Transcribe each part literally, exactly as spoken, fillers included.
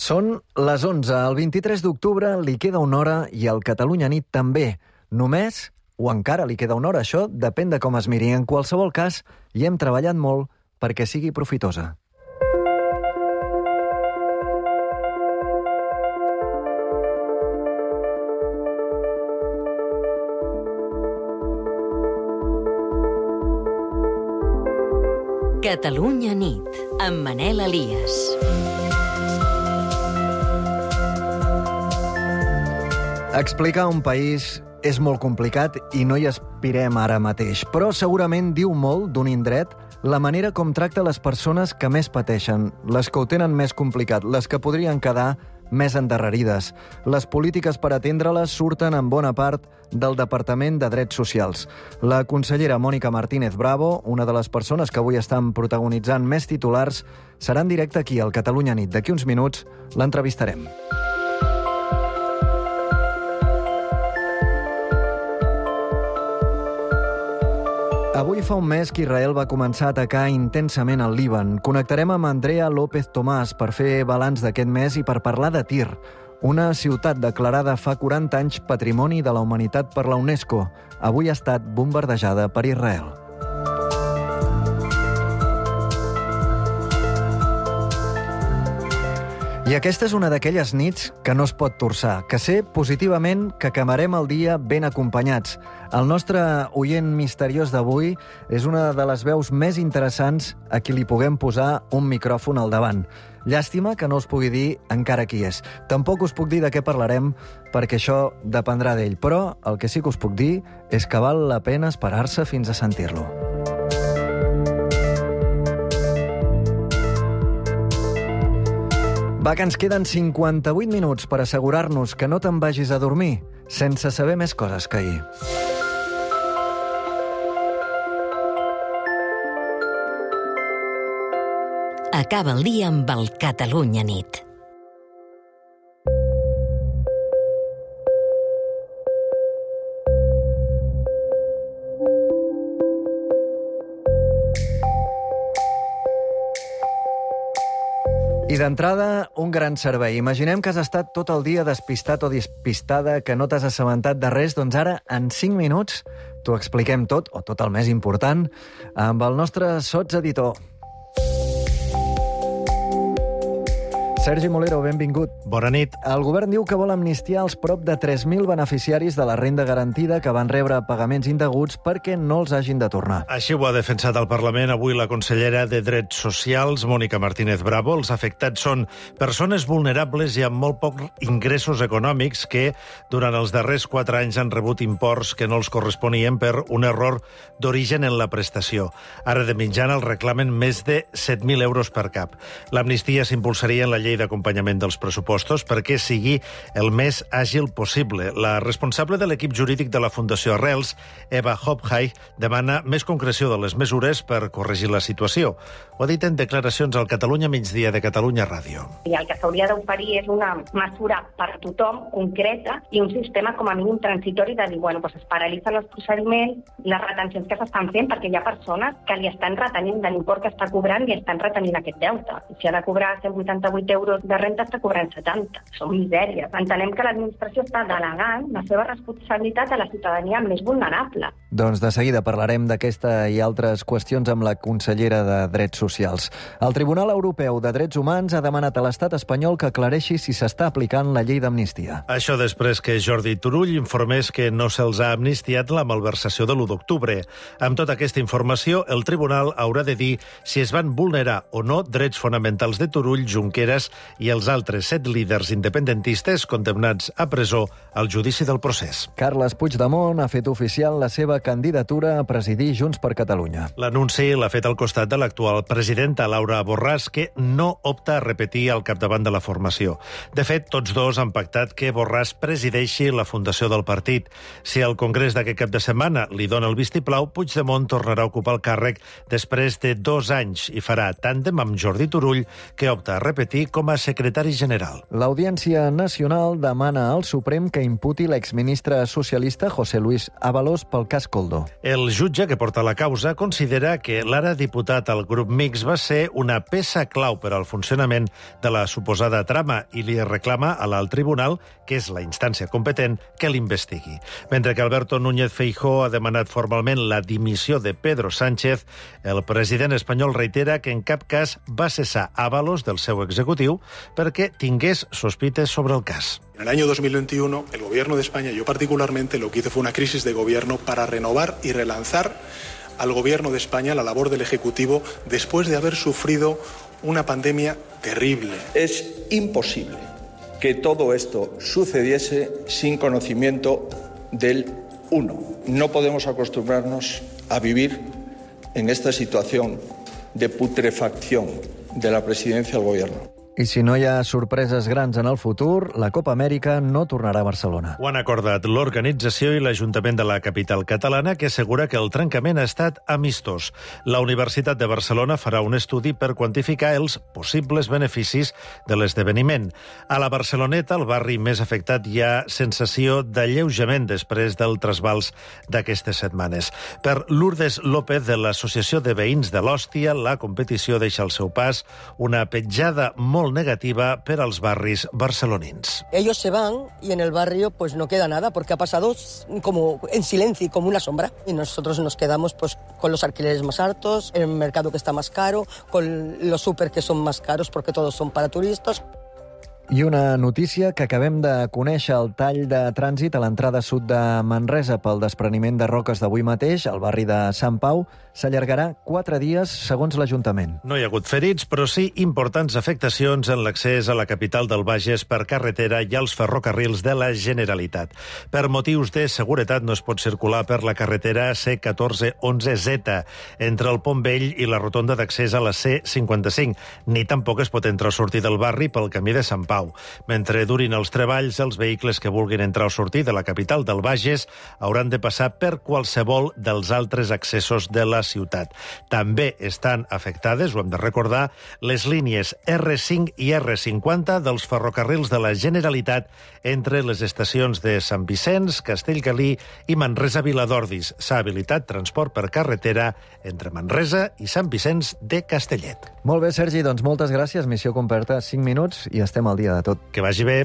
Són les onze. El vint-i-tres d'octubre li queda una hora i el Catalunya Nit també. Només, o encara li queda una hora, això depèn de com es miri. En qualsevol cas, hi hem treballat molt perquè sigui profitosa. Catalunya Nit, amb Manel Elias. Explicar un país és molt complicat i no hi aspirem ara mateix, però segurament diu molt d'un indret la manera com tracta les persones que més pateixen, les que ho tenen més complicat, les que podrien quedar més endarrerides. Les polítiques per atendre-les surten en bona part del Departament de Drets Socials. La consellera Mònica Martínez Bravo, una de les persones que avui estan protagonitzant més titulars, serà en directe aquí al Catalunya Nit. D'aquí uns minuts l'entrevistarem. Avui fa un mes que Israel va començar a atacar intensament el Líban. Connectarem amb Andrea López Tomàs per fer balanç d'aquest mes i per parlar de Tir, una ciutat declarada fa quaranta anys Patrimoni de la Humanitat per la UNESCO. Avui ha estat bombardejada per Israel. I aquesta és una d'aquelles nits que no es pot torçar, que sé positivament que acabarem el dia ben acompanyats. El nostre oient misteriós d'avui és una de les veus més interessants a qui li puguem posar un micròfon al davant. Llàstima que no us pugui dir encara qui és. Tampoc us puc dir de què parlarem, perquè això dependrà d'ell. Però el que sí que us puc dir és que val la pena esperar-se fins a sentir-lo. Va, que ens queden cinquanta-vuit minuts per assegurar-nos que no te'n vagis a dormir sense saber més coses que ahir. Acaba el dia amb el Catalunya Nit. I d'entrada, un gran servei. Imaginem que has estat tot el dia despistat o despistada, que no t'has assabentat de res, doncs ara, en cinc minuts, t'ho expliquem tot, o tot el més important, amb el nostre sotseditor. Sergi Molero, benvingut. Bona nit. El govern diu que vol amnistiar els prop de tres mil beneficiaris de la renda garantida que van rebre pagaments indeguts perquè no els hagin de tornar. Així ho ha defensat al Parlament avui la consellera de Drets Socials, Mònica Martínez Bravo. Els afectats són persones vulnerables i amb molt pocs ingressos econòmics que durant els darrers quatre anys han rebut imports que no els corresponien per un error d'origen en la prestació. Ara de mitjana els reclamen més de set mil euros per cap. L'amnistia s'impulsaria en la llei d'acompanyament dels pressupostos perquè sigui el més àgil possible. La responsable de l'equip jurídic de la Fundació Arrels, Eva Hopheim, demana més concreció de les mesures per corregir la situació. Ho ha dit en declaracions al Catalunya Migdia de Catalunya Ràdio. I el que s'hauria d'oferir és una mesura per a tothom, concreta, i un sistema com a mínim transitori de dir, bueno, doncs es paralitzen els procediments, les retencions que s'estan fent, perquè hi ha persones que li estan retenint de l'import que està cobrant i estan retenint aquest deute. Si ha de cobrar cent vuitanta-vuit euros de renta està cobrant setanta. Són misèries. Entenem que l'administració està delegant la seva responsabilitat a la ciutadania més vulnerable. Doncs de seguida parlarem d'aquesta i altres qüestions amb la consellera de Drets Socials. El Tribunal Europeu de Drets Humans ha demanat a l'estat espanyol que aclareixi si s'està aplicant la llei d'amnistia. Això després que Jordi Turull informés que no se'ls ha amnistiat la malversació de l'u d'octubre. Amb tota aquesta informació, el tribunal haurà de dir si es van vulnerar o no drets fonamentals de Turull, Junqueras i els altres set líders independentistes condemnats a presó al judici del procés. Carles Puigdemont ha fet oficial la seva candidatura a presidir Junts per Catalunya. L'anunci l'ha fet al costat de l'actual presidenta, Laura Borràs, que no opta a repetir al capdavant de la formació. De fet, tots dos han pactat que Borràs presideixi la fundació del partit. Si el congrés d'aquest cap de setmana li dona el vistiplau, Puigdemont tornarà a ocupar el càrrec després de dos anys i farà tàndem amb Jordi Turull, que opta a repetir com a secretari general. L'Audiència Nacional demana al Suprem que imputi l'exministre socialista José Luis Ábalos pel cas Coldó. El jutge que porta la causa considera que l'ara diputat al grup mixt va ser una peça clau per al funcionament de la suposada trama i li reclama a l'alt tribunal, que és la instància competent, que l'investigui. Mentre que Alberto Núñez Feijóo ha demanat formalment la dimissió de Pedro Sánchez, el president espanyol reitera que en cap cas va cessar Ábalos del seu executiu perquè tingués sospites sobre el cas. En el año dos mil veintiuno, el Gobierno de España, yo particularmente, lo que hizo fue una crisis de gobierno para renovar y relanzar al Gobierno de España la labor del Ejecutivo después de haber sufrido una pandemia terrible. Es imposible que todo esto sucediese sin conocimiento del uno. No podemos acostumbrarnos a vivir en esta situación de putrefacción de la presidencia del Gobierno. I si no hi ha sorpreses grans en el futur, la Copa Amèrica no tornarà a Barcelona. Ho han acordat l'organització i l'Ajuntament de la capital catalana, que assegura que el trencament ha estat amistós. La Universitat de Barcelona farà un estudi per quantificar els possibles beneficis de l'esdeveniment. A la Barceloneta, el barri més afectat, hi ha sensació d'alleujament després del trasbals d'aquestes setmanes. Per Lourdes López, de l'Associació de Veïns de l'Hòstia, la competició deixa al seu pas una petjada molt negativa per als barris barcelonins. Ellos se van y en el barrio pues no queda nada porque ha pasado como en silencio, como una sombra. Y nosotros nos quedamos pues con los alquileres más altos, el mercado que está más caro, con los súper que son más caros porque todos son para turistas. I una notícia que acabem de conèixer: el tall de trànsit a l'entrada sud de Manresa pel despreniment de roques d'avui mateix, al barri de Sant Pau, s'allargarà quatre dies, segons l'Ajuntament. No hi ha hagut ferits, però sí importants afectacions en l'accés a la capital del Bages per carretera i als ferrocarrils de la Generalitat. Per motius de seguretat no es pot circular per la carretera C catorze onze Z entre el Pont Vell i la rotonda d'accés a la C cinquanta-cinc, ni tampoc es pot entrar o sortir del barri pel camí de Sant Pau. Mentre durin els treballs, els vehicles que vulguin entrar o sortir de la capital del Bages hauran de passar per qualsevol dels altres accessos de la ciutat. També estan afectades, ho hem de recordar, les línies R cinc i R cinquanta dels ferrocarrils de la Generalitat entre les estacions de Sant Vicenç, Castellgalí i Manresa-Viladordis. S'ha habilitat transport per carretera entre Manresa i Sant Vicenç de Castellet. Molt bé, Sergi, doncs moltes gràcies. Missió completa, cinc minuts i estem al dia de tot. Que vagi bé.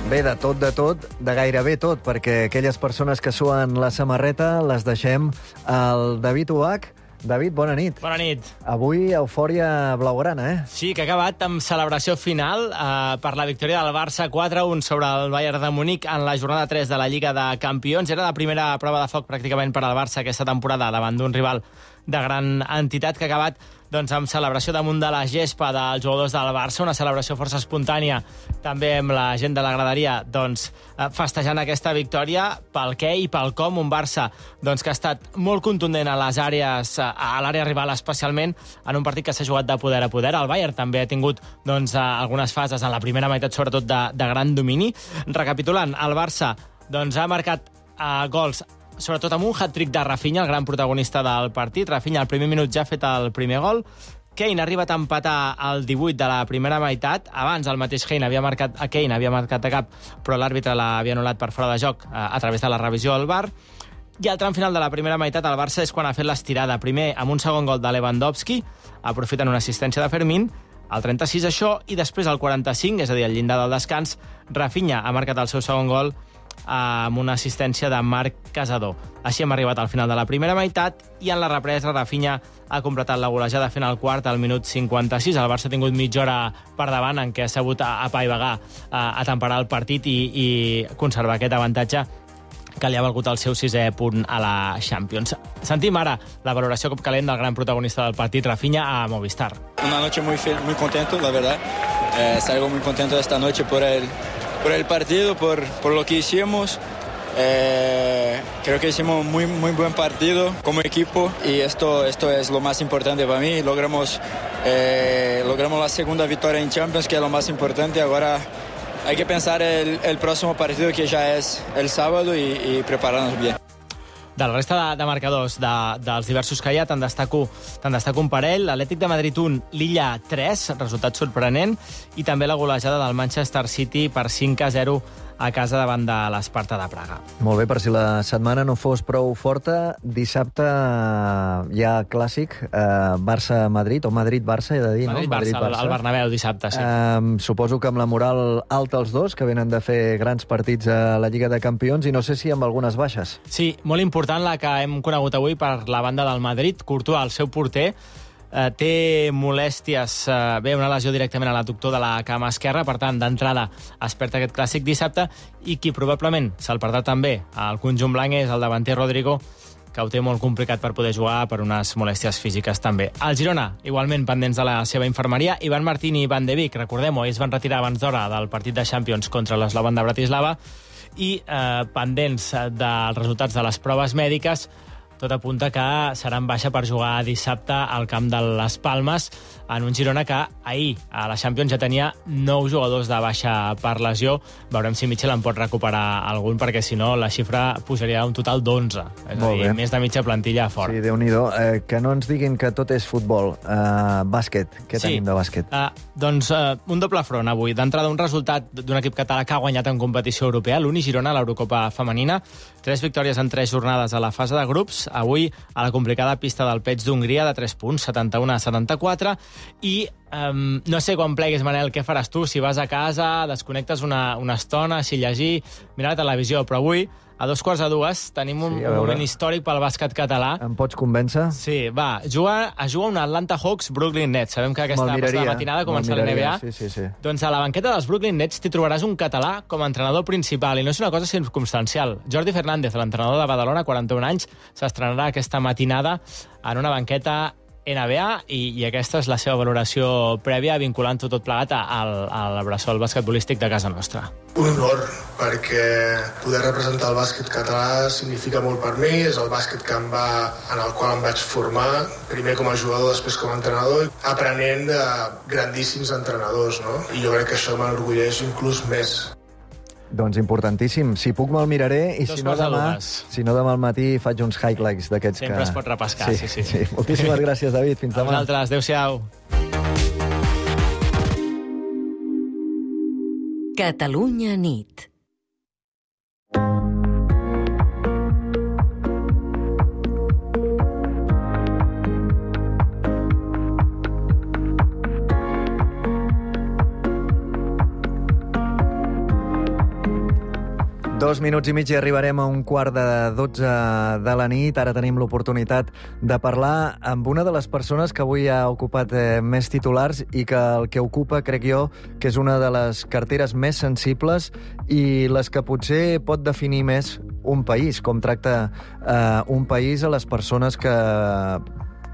Bé, de tot, de tot, de gairebé tot, perquè aquelles persones que suen la samarreta les deixem al David Uach. David, bona nit. Bona nit. Avui eufòria blaugrana, eh? Sí, que ha acabat amb celebració final eh, per la victòria del Barça quatre a un sobre el Bayern de Munic en la jornada tres de la Lliga de Campions. Era la primera prova de foc pràcticament per al Barça aquesta temporada davant d'un rival de gran entitat, que ha acabat doncs, amb celebració damunt de la gespa dels jugadors del Barça, una celebració força espontània, també amb la gent de la graderia doncs, festejant aquesta victòria pel què i pel com. Un Barça doncs, que ha estat molt contundent a les àrees, a l'àrea rival especialment, en un partit que s'ha jugat de poder a poder. El Bayern també ha tingut doncs, algunes fases en la primera meitat, sobretot de, de gran domini. Recapitulant, el Barça doncs, ha marcat uh, gols sobretot amb un hat-trick de Rafinha, el gran protagonista del partit. Rafinha al primer minut ja ha fet el primer gol. Kane ha arribat a empatar al divuit de la primera meitat. Abans el mateix Kane havia marcat a Kane havia marcat a cap, però l'àrbitre l'havia anul·lat per fora de joc a, a través de la revisió al V A R. I al tram final de la primera meitat el Barça és quan ha fet l'estirada. Primer amb un segon gol de Lewandowski, aprofitant una assistència de Fermín, al trenta-sis això, i després al quaranta-cinc, és a dir, al llindar del descans, Rafinha ha marcat el seu segon gol amb una assistència de Marc Casador. Així hem arribat al final de la primera meitat i en la represa Rafinha ha completat la golejada fent el quart al minut cinquanta-sis. El Barça ha tingut mitja hora per davant en què ha sabut apaivagar, a temperar el partit i, i conservar aquest avantatge que li ha valgut el seu sisè punt a la Champions. Sentim ara la valoració cop calent del gran protagonista del partit, Rafinha, a Movistar. Una noche muy, muy contento, la verdad. Eh, salgo muy contento esta noche por el por el partido, por, por lo que hicimos. Eh, creo que hicimos muy muy buen partido como equipo y esto esto es lo más importante para mí. Logramos eh, logramos la segunda victoria en Champions, que es lo más importante. Ahora hay que pensar el, el próximo partido, que ya es el sábado, y, y prepararnos bien. De la resta de, de marcadors de, dels diversos que hi ha, te'n destaco, te'n destaco un parell. L'Atlètic de Madrid un, Lilla tres, resultat sorprenent, i també la golejada del Manchester City per cinc a zero a casa davant de l'Esparta de Praga. Molt bé, per si la setmana no fos prou forta, dissabte hi ha clàssic, eh, Barça-Madrid, o Madrid-Barça, he de dir, Madrid, no? Madrid-Barça, Madrid-Barça, al Bernabéu dissabte, sí. Eh, suposo que amb la moral alta els dos, que venen de fer grans partits a la Lliga de Campions, i no sé si amb algunes baixes. Sí, molt important la que hem conegut avui per la banda del Madrid. Courtois, el seu porter, eh, té molèsties, eh, bé, una lesió directament a l'adductor de la cama esquerra, per tant, d'entrada es perd aquest clàssic dissabte, i qui probablement se'l perdrà també al conjunt blanc és el davanter Rodrigo, que ho té molt complicat per poder jugar per unes molèsties físiques també. El Girona, igualment pendents de la seva infermeria, Ivan Martín i Van de Beek, recordem-ho, ells van retirar abans d'hora del partit de Champions contra l'Slovan de Bratislava, i eh, pendents dels resultats de les proves mèdiques, tot apunta que seran baixa per jugar dissabte al camp de les Palmes, en un Girona que ahir a la Champions ja tenia nou jugadors de baixa per lesió. Veurem si Mitchell en pot recuperar algun, perquè si no la xifra pujaria a un total d'onze. És a dir, més de mitja plantilla fora. Sí, Déu-n'hi-do. Eh, que no ens diguin que tot és futbol. Eh, bàsquet. Què sí. tenim de bàsquet? Uh, doncs uh, un doble front avui. D'entrada, un resultat d'un equip català que ha guanyat en competició europea, l'Uni Girona, l'Eurocopa femenina. Tres victòries en tres jornades a la fase de grups. Avui a la complicada pista del Peig d'Hongria de tres punts, setanta-u a setanta-quatre, i um, no sé quan plegues, Manel, què faràs tu? Si vas a casa, desconnectes una, una estona, si llegir, mirar la televisió, però avui, a dos quarts de dues, tenim un, sí, un moment històric pel bàsquet català. Em pots convèncer? Sí, va, juga, es juga un Atlanta Hawks Brooklyn Nets. Sabem que aquesta passada matinada comença la N B A. Sí, sí, sí. Doncs a la banqueta dels Brooklyn Nets t'hi trobaràs un català com a entrenador principal, i no és una cosa circumstancial. Jordi Fernández, l'entrenador de Badalona, quaranta-un anys, s'estrenarà aquesta matinada en una banqueta N B A, i, i aquesta és la seva valoració prèvia, vinculant-ho tot plegat al, al bressol basquetbolístic de casa nostra. Un honor, perquè poder representar el bàsquet català significa molt per mi. És el bàsquet que em va, en el qual em vaig formar, primer com a jugador, després com a entrenador, aprenent de grandíssims entrenadors, no? I jo crec que això m'enorgulleix inclús més. Doncs importantíssim. Si puc me'l miraré, i si no, demà, si no demà al matí faig uns highlights d'aquests que... Sempre es pot repescar, sí, sí. sí. sí. Moltíssimes gràcies, David. Fins demà. A vosaltres. Adéu-siau. Catalunya nit. Dos minuts i mig i arribarem a un quart de dotze de la nit. Ara tenim l'oportunitat de parlar amb una de les persones que avui ha ocupat eh, més titulars, i que el que ocupa, crec jo, que és una de les carteres més sensibles i les que potser pot definir més un país, com tracta eh, un país a les persones que,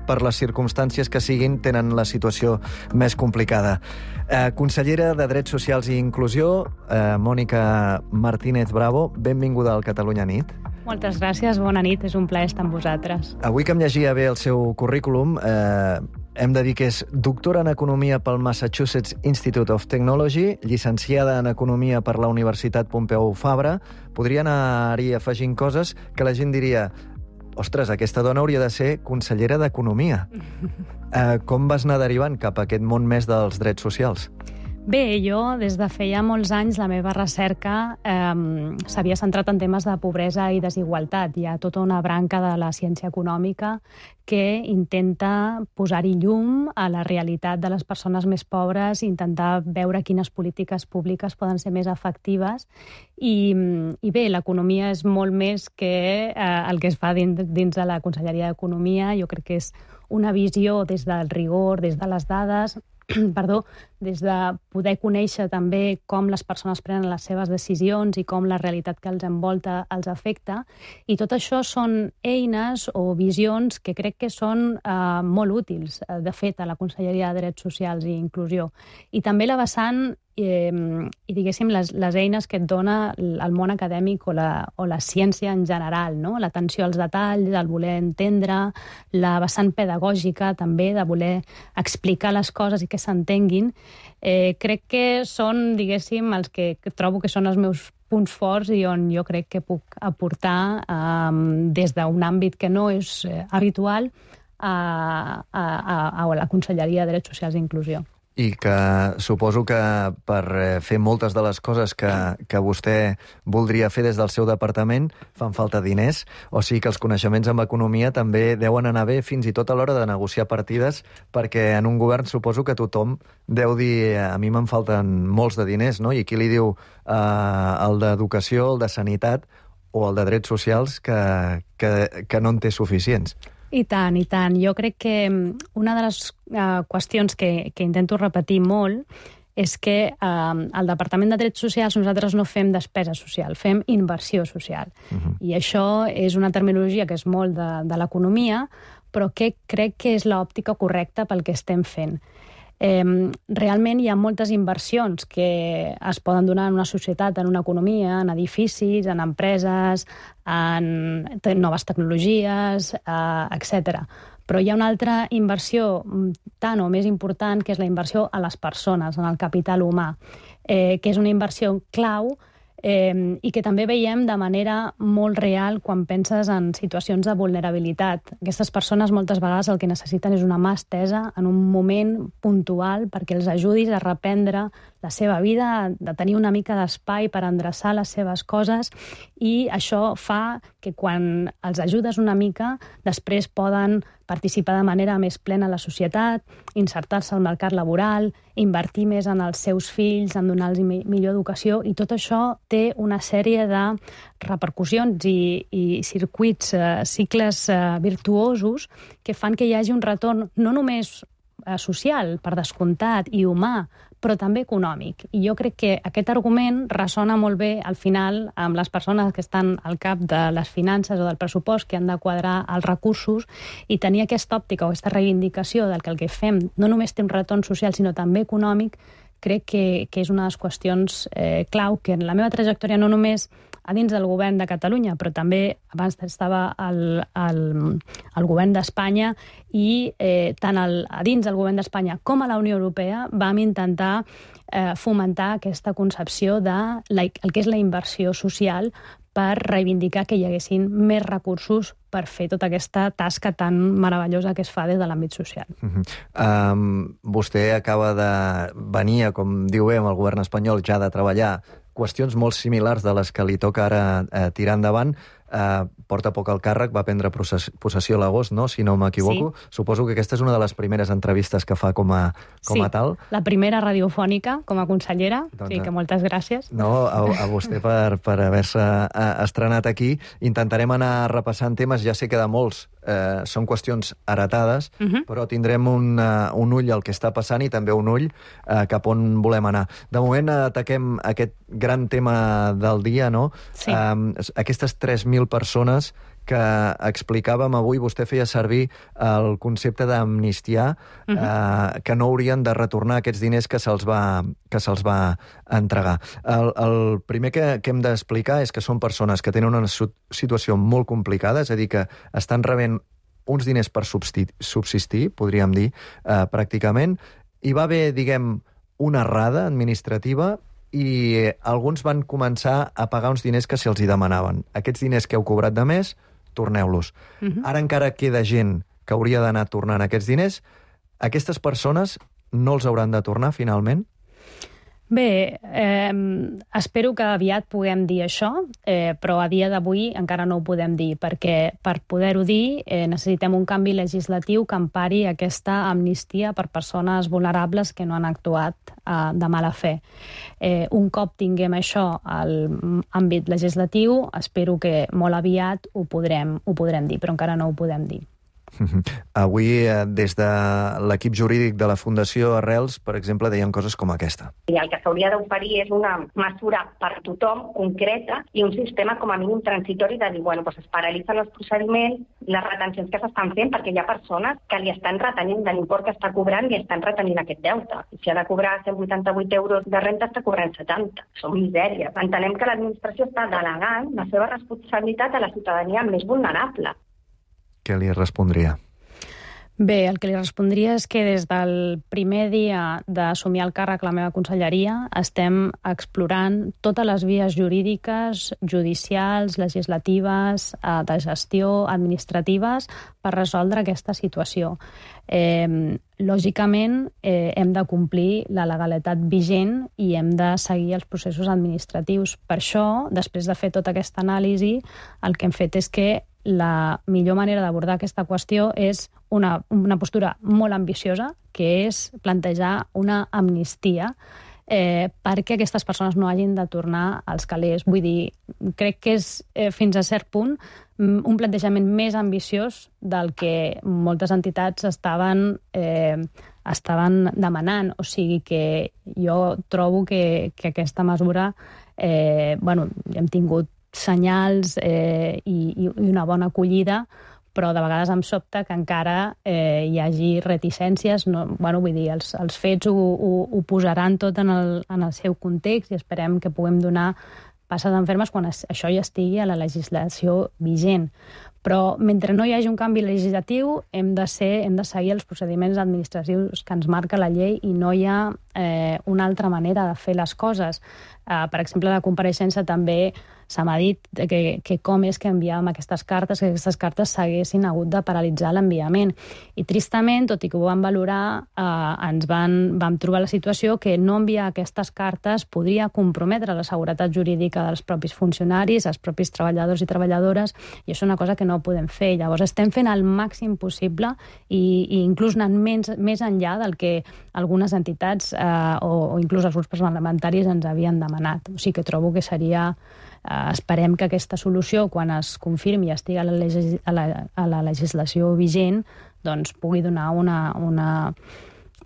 per les circumstàncies que siguin, tenen la situació més complicada. Eh, consellera de Drets Socials i Inclusió, eh, Mònica Martínez Bravo, benvinguda al Catalunya Nit. Moltes gràcies, bona nit, és un plaer estar amb vosaltres. Avui que em llegia bé el seu currículum, eh, hem de dir que és doctora en Economia pel Massachusetts Institute of Technology, llicenciada en Economia per la Universitat Pompeu Fabra. Podria anar-hi afegint coses que la gent diria: ostres, aquesta dona hauria de ser consellera d'Economia. Eh, com vas anar derivant cap a aquest món més dels drets socials? Bé, jo des de feia molts anys la meva recerca eh, s'havia centrat en temes de pobresa i desigualtat. Hi ha tota una branca de la ciència econòmica que intenta posar-hi llum a la realitat de les persones més pobres, intentar veure quines polítiques públiques poden ser més efectives. I, i bé, l'economia és molt més que eh, el que es fa dins, dins de la Conselleria d'Economia. Jo crec que és una visió des del rigor, des de les dades, perdó, des de poder conèixer també com les persones prenen les seves decisions i com la realitat que els envolta els afecta. I tot això són eines o visions que crec que són eh, molt útils, de fet, a la Conselleria de Drets Socials i Inclusió. I també la vessant eh, i, diguéssim, les, les eines que et dona el món acadèmic o la, o la ciència en general, no? L'atenció als detalls, el voler entendre, la vessant pedagògica també, de voler explicar les coses i que s'entenguin. Eh, crec que són, diguéssim, els que trobo que són els meus punts forts i on jo crec que puc aportar eh, des d'un àmbit que no és eh, habitual a, a, a la Conselleria de Drets Socials i Inclusió. I que suposo que per fer moltes de les coses que, que vostè voldria fer des del seu departament fan falta diners, o sigui que els coneixements en economia també deuen anar bé fins i tot a l'hora de negociar partides, perquè en un govern suposo que tothom deu dir a mi me'n falten molts de diners, no? I qui li diu eh, el d'educació, el de sanitat o el de drets socials que, que, que no en té suficients? I tant, i tant. Jo crec que una de les uh, qüestions que, que intento repetir molt és que uh, al Departament de Drets Socials nosaltres no fem despesa social, fem inversió social. Uh-huh. I això és una terminologia que és molt de, de l'economia, però que crec que és l'òptica correcta pel que estem fent. Eh, realment hi ha moltes inversions que es poden donar en una societat, en una economia, en edificis, en empreses, en noves tecnologies, eh, etcètera. Però hi ha una altra inversió tant o més important, que és la inversió a les persones, en el capital humà, eh, que és una inversió clau eh, i que també veiem de manera molt real quan penses en situacions de vulnerabilitat. Aquestes persones moltes vegades el que necessiten és una mà estesa en un moment puntual perquè els ajudis a reprendre la seva vida, de tenir una mica d'espai per endreçar les seves coses, i això fa que quan els ajudes una mica, després poden participar de manera més plena a la societat, insertar-se al mercat laboral, invertir més en els seus fills, en donar-los millor educació, i tot això té una sèrie de repercussions i, i circuits, eh, cicles eh, virtuosos que fan que hi hagi un retorn no només eh, social, per descomptat, i humà, però també econòmic. I jo crec que aquest argument ressona molt bé al final amb les persones que estan al cap de les finances o del pressupost, que han de quadrar els recursos, i tenir aquesta òptica o aquesta reivindicació del que el que fem no només té un retorn social sinó també econòmic, crec que, que és una de les qüestions eh, clau que en la meva trajectòria no només a dins del govern de Catalunya, però també abans estava al, al, al govern d'Espanya, i eh, tant al, a dins del govern d'Espanya com a la Unió Europea vam intentar eh, fomentar aquesta concepció de la, el que és la inversió social, per reivindicar que hi haguessin més recursos per fer tota aquesta tasca tan meravellosa que es fa des de l'àmbit social. Uh-huh. Um, vostè acaba de venir, com diu bé, amb el govern espanyol, ja de treballar qüestions molt similars de les que li toca ara eh, tirar endavant. Uh, porta poc al càrrec, va prendre possessió a l'agost, no? Si no m'equivoco. Sí. Suposo que aquesta és una de les primeres entrevistes que fa com a, com a sí, tal. La primera radiofònica com a consellera, doncs, sí, que moltes gràcies. No, a, a vostè per, per haver-se estrenat aquí. Intentarem anar repassant temes, ja sé que de molts eh, són qüestions heretades, uh-huh. però tindrem un, uh, un ull al que està passant i també un ull uh, cap on volem anar. De moment ataquem aquest gran tema del dia, no? Sí. Um, aquestes tres mil persones que explicàvem avui, vostè feia servir el concepte d'amnistia, uh-huh. eh, que no haurien de retornar aquests diners que se'ls va, que se'ls va entregar. El, el primer que, que hem d'explicar és que són persones que tenen una situació molt complicada, és a dir, que estan rebent uns diners per subsistir, podríem dir, eh, pràcticament. Hi va haver, diguem, una errada administrativa i alguns van començar a pagar uns diners que se'ls hi demanaven. Aquests diners que heu cobrat de més, torneu-los. Uh-huh. Ara encara queda gent que hauria d'anar tornant aquests diners. Aquestes persones no els hauran de tornar, finalment? Bé, eh, espero que aviat puguem dir això, eh, però a dia d'avui encara no ho podem dir, perquè per poder-ho dir eh, necessitem un canvi legislatiu que empari aquesta amnistia per persones vulnerables que no han actuat eh, de mala fe. Eh, un cop tinguem això al àmbit legislatiu, espero que molt aviat ho podrem, ho podrem dir, però encara no ho podem dir. Avui, des de l'equip jurídic de la Fundació Arrels, per exemple, deien coses com aquesta. I el que s'hauria d'oferir és una mesura per tothom, concreta, i un sistema com a mínim transitori de dir, bueno, doncs es paralitzen els procediments, les retencions que s'estan fent, perquè hi ha persones que li estan retenint de l'import que està cobrant i estan retenint aquest deute. I si ha de cobrar cent vuitanta-vuit euros de renta, està cobrant setanta. Són misèries. Entenem que l'administració està delegant la seva responsabilitat a la ciutadania més vulnerable. Què li respondria? Bé, el que li respondria és que des del primer dia d'assumir el càrrec a la meva conselleria estem explorant totes les vies jurídiques, judicials, legislatives, de gestió, administratives, per resoldre aquesta situació. Eh, lògicament, eh, hem de complir la legalitat vigent i hem de seguir els processos administratius. Per això, després de fer tota aquesta anàlisi, el que hem fet és que la millor manera d'abordar aquesta qüestió és una, una postura molt ambiciosa, que és plantejar una amnistia eh, perquè aquestes persones no hagin de tornar als calés. Vull dir, crec que és eh, fins a cert punt un plantejament més ambiciós del que moltes entitats estaven, eh, estaven demanant. O sigui que jo trobo que, que aquesta mesura, eh, bueno, hem tingut senyals eh, i, i una bona acollida, però de vegades em sobta que encara eh, hi hagi reticències. No, bueno, vull dir, els, els fets ho, ho, ho posaran tot en el, en el seu context i esperem que puguem donar passes en fermes quan es, això ja estigui a la legislació vigent. Però mentre no hi hagi un canvi legislatiu hem de, ser, hem de seguir els procediments administratius que ens marca la llei i no hi ha eh, una altra manera de fer les coses. Eh, per exemple, a la compareixença també se m'ha dit que, que com és que enviàvem aquestes cartes, que aquestes cartes s'haguessin hagut de paralitzar l'enviament. I tristament, tot i que ho vam valorar, eh, ens van, vam trobar la situació que no enviar aquestes cartes podria comprometre la seguretat jurídica dels propis funcionaris, els propis treballadors i treballadores, i això és una cosa que no podem fer. Llavors estem fent el màxim possible i, i inclús anant més, més enllà del que algunes entitats eh, o, o inclús els grups parlamentaris ens havien demanat. O sigui que trobo que seria... Uh, esperem que aquesta solució, quan es confirmi i estigui a la, legis a la, a la legislació vigent, doncs pugui donar una, una,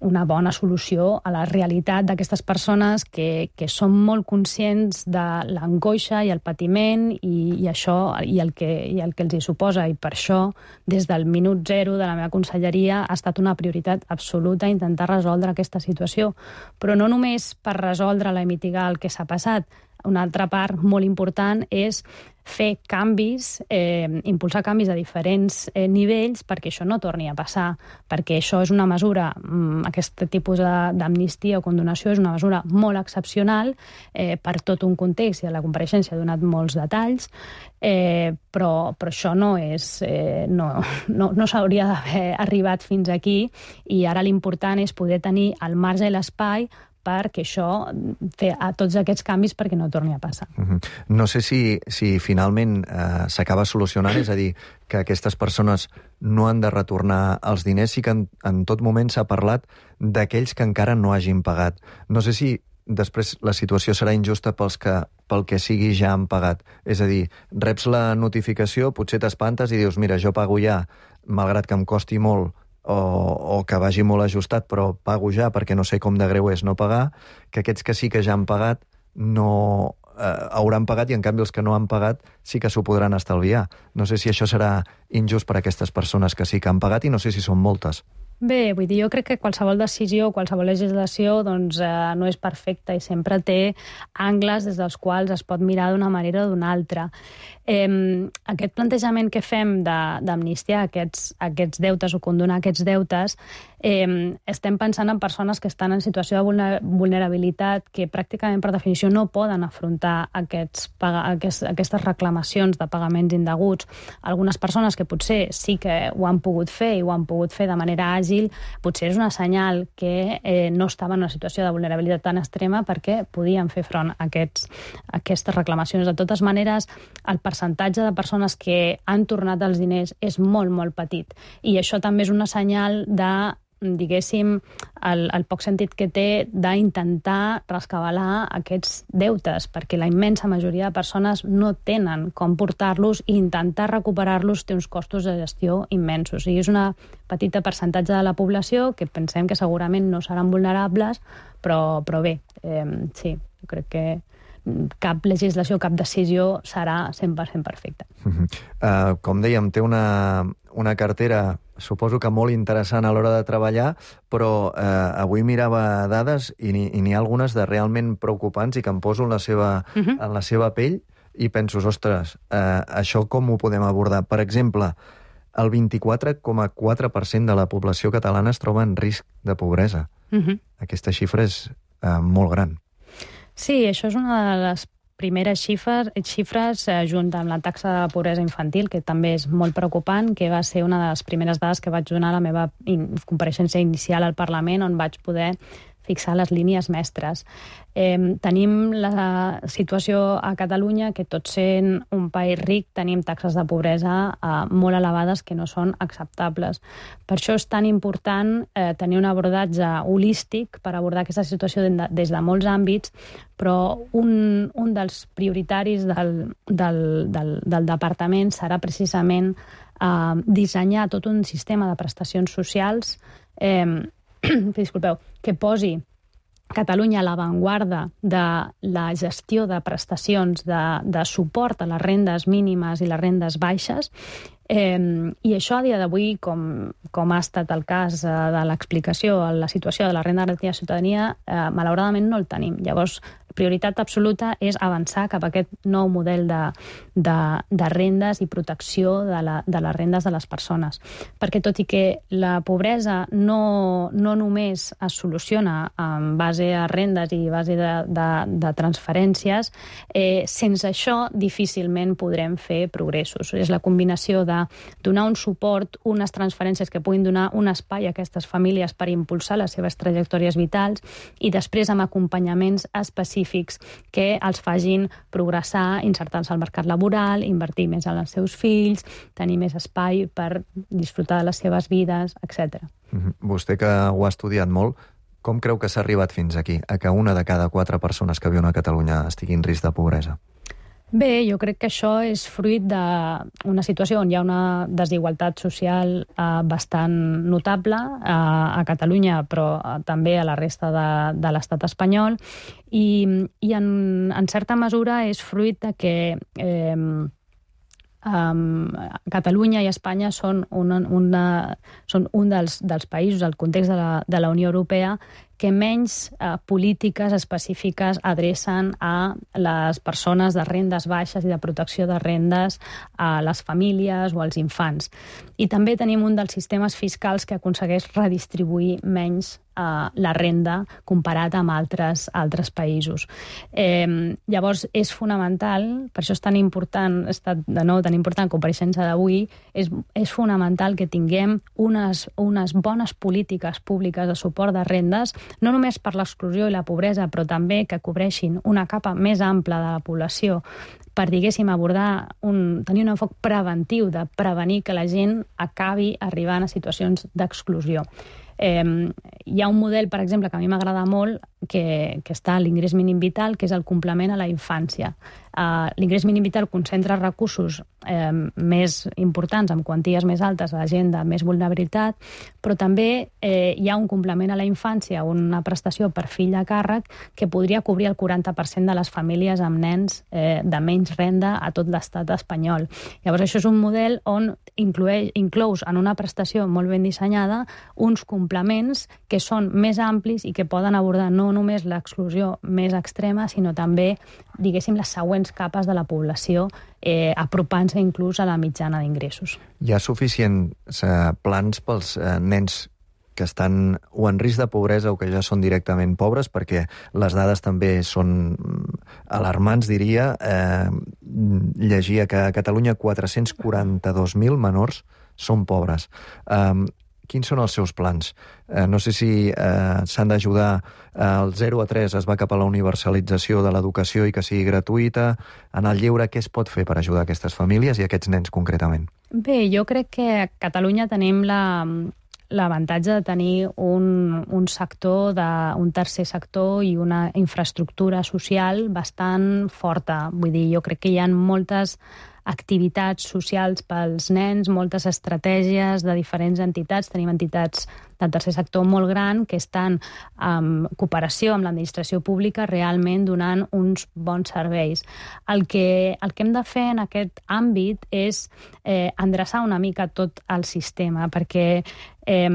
una bona solució a la realitat d'aquestes persones que, que són molt conscients de l'angoixa i el patiment i, i això i el, que, i el que els hi suposa. I per això, des del minut zero de la meva conselleria, ha estat una prioritat absoluta intentar resoldre aquesta situació. Però no només per resoldre-la i mitigar el que s'ha passat. Una altra part molt important és fer canvis, eh, impulsar canvis a diferents eh, nivells perquè això no torni a passar, perquè això és una mesura, aquest tipus d'amnistia o condonació és una mesura molt excepcional eh, per tot un context, i a la compareixença ha donat molts detalls, eh, però, però això no és, eh, no, no, no s'hauria d'haver arribat fins aquí, i ara l'important és poder tenir el marge i l'espai perquè això, fer a tots aquests canvis perquè no torni a passar. Uh-huh. No sé si, si finalment eh, s'acaba solucionant, és a dir, que aquestes persones no han de retornar els diners, sí que en, en tot moment s'ha parlat d'aquells que encara no hagin pagat. No sé si després la situació serà injusta pels que, pel que sigui ja han pagat. És a dir, reps la notificació, potser t'espantes i dius, mira, jo pago ja, malgrat que em costi molt, O, o que vagi molt ajustat, però pago ja perquè no sé com de greu és no pagar, que aquests que sí que ja han pagat no eh, hauran pagat, i en canvi els que no han pagat sí que s'ho podran estalviar. No sé si això serà injust per a aquestes persones que sí que han pagat, i no sé si són moltes. Bé, vull dir, jo crec que qualsevol decisió, qualsevol legislació doncs, eh, no és perfecta i sempre té angles des dels quals es pot mirar d'una manera o d'una altra. Eh, aquest plantejament que fem d'amnistiar aquests, aquests deutes o condonar aquests deutes, eh, estem pensant en persones que estan en situació de vulnerabilitat, que pràcticament per definició no poden afrontar aquests, aquests, aquestes reclamacions de pagaments indeguts. Algunes persones que potser sí que ho han pogut fer i ho han pogut fer de manera àgil, potser és una senyal que eh, no estaven en una situació de vulnerabilitat tan extrema perquè podien fer front a, aquests, a aquestes reclamacions. De totes maneres, el percentatge de persones que han tornat els diners és molt, molt petit. I això també és una senyal de, diguéssim, el, el poc sentit que té d'intentar rescabalar aquests deutes, perquè la immensa majoria de persones no tenen com portar-los, i intentar recuperar-los té uns costos de gestió immensos. I és una petita percentatge de la població que pensem que segurament no seran vulnerables, però, però bé, eh, sí, jo crec que cap legislació, cap decisió serà cent per cent perfecta. Uh-huh. Uh, com dèiem, té una, una cartera, suposo que molt interessant a l'hora de treballar, però uh, avui mirava dades i n'hi ha algunes de realment preocupants i que em poso en la seva, uh-huh. en la seva pell i penso, ostres, uh, això com ho podem abordar? Per exemple, el vint-i-quatre coma quatre per cent de la població catalana es troba en risc de pobresa. Uh-huh. Aquesta xifra és eh, molt gran. Sí, això és una de les primeres xifres, xifres eh, junt amb la taxa de pobresa infantil, que també és molt preocupant, que va ser una de les primeres dades que vaig donar a la meva in- compareixença inicial al Parlament, on vaig poder fixar les línies mestres. Eh, tenim la situació a Catalunya que, tot sent un país ric, tenim taxes de pobresa eh, molt elevades que no són acceptables. Per això és tan important eh, tenir un abordatge holístic per abordar aquesta situació de, des de molts àmbits, però un, un dels prioritaris del, del, del, del departament serà precisament eh, dissenyar tot un sistema de prestacions socials eh, disculpeu, que posi Catalunya a l'avantguarda de la gestió de prestacions de, de suport a les rendes mínimes i les rendes baixes. Eh, I això a dia d'avui, com, com ha estat el cas eh, de l'explicació, la situació de la renda garantida de ciutadania, eh, malauradament no el tenim. Llavors, prioritat absoluta és avançar cap a aquest nou model de, de, de rendes i protecció de, la, de les rendes de les persones. Perquè tot i que la pobresa no, no només es soluciona en base a rendes i base de, de, de transferències, eh, sense això difícilment podrem fer progressos. És la combinació de donar un suport, unes transferències que puguin donar un espai a aquestes famílies per impulsar les seves trajectòries vitals i després amb acompanyaments específics que els facin progressar, insertar-se al mercat laboral, invertir més en els seus fills, tenir més espai per disfrutar de les seves vides, etcètera. Mm-hmm. Vostè, que ho ha estudiat molt, com creu que s'ha arribat fins aquí, a que una de cada quatre persones que viuen a Catalunya estigui en risc de pobresa? Bé, jo crec que això és fruit d'una situació on hi ha una desigualtat social eh, bastant notable eh, a Catalunya, però eh, també a la resta de, de l'estat espanyol, i, i en, en certa mesura és fruit de que eh, Um, Catalunya i Espanya són, una, una, són un dels, dels països, del context de la, de la Unió Europea, que menys uh, polítiques específiques adrecen a les persones de rendes baixes i de protecció de rendes, a les famílies o als infants. I també tenim un dels sistemes fiscals que aconsegueix redistribuir menys uh, la renda comparat amb altres, altres països. Eh, llavors, és fonamental, per això és tan important, ha estat de nou tan important compareixença d'avui, és, és fonamental que tinguem unes, unes bones polítiques públiques de suport de rendes, no només per l'exclusió i la pobresa, però també que cobreixin una capa més ampla de la població per, diguéssim, abordar un, tenir un enfoc preventiu de prevenir que la gent acabi arribant a situacions d'exclusió. Eh, hi ha un model, per exemple, que a mi m'agrada molt, que, que està a l'ingrés mínim vital, que és el complement a la infància. Uh, l'ingrés mínim vital concentra recursos eh, més importants, amb quanties més altes a la gent de més vulnerabilitat, però també eh, hi ha un complement a la infància, una prestació per fill a càrrec, que podria cobrir el quaranta per cent de les famílies amb nens eh, de menys renda a tot l'estat espanyol. Llavors, això és un model on inclueix, inclous en una prestació molt ben dissenyada uns complements que són més amplis i que poden abordar no només l'exclusió més extrema, sinó també, diguéssim, les següents capes de la població, eh, apropant-se inclús a la mitjana d'ingressos. Hi ha suficients eh, plans pels eh, nens que estan o en risc de pobresa o que ja són directament pobres, perquè les dades també són alarmants, diria. Eh, llegia que a Catalunya quatre-cents quaranta-dos mil menors són pobres. Eh, Quins són els seus plans? Eh, no sé si eh, s'han d'ajudar al zero a tres, es va cap a la universalització de l'educació i que sigui gratuïta. En el lleure, què es pot fer per ajudar aquestes famílies i aquests nens concretament? Bé, jo crec que a Catalunya tenim la, l'avantatge de tenir un, un sector, de, un tercer sector i una infraestructura social bastant forta. Vull dir, jo crec que hi ha moltes activitats socials pels nens, moltes estratègies de diferents entitats. Tenim entitats del tercer sector molt gran que estan en cooperació amb l'administració pública realment donant uns bons serveis. El que, el que hem de fer en aquest àmbit és eh, endreçar una mica tot el sistema, perquè eh,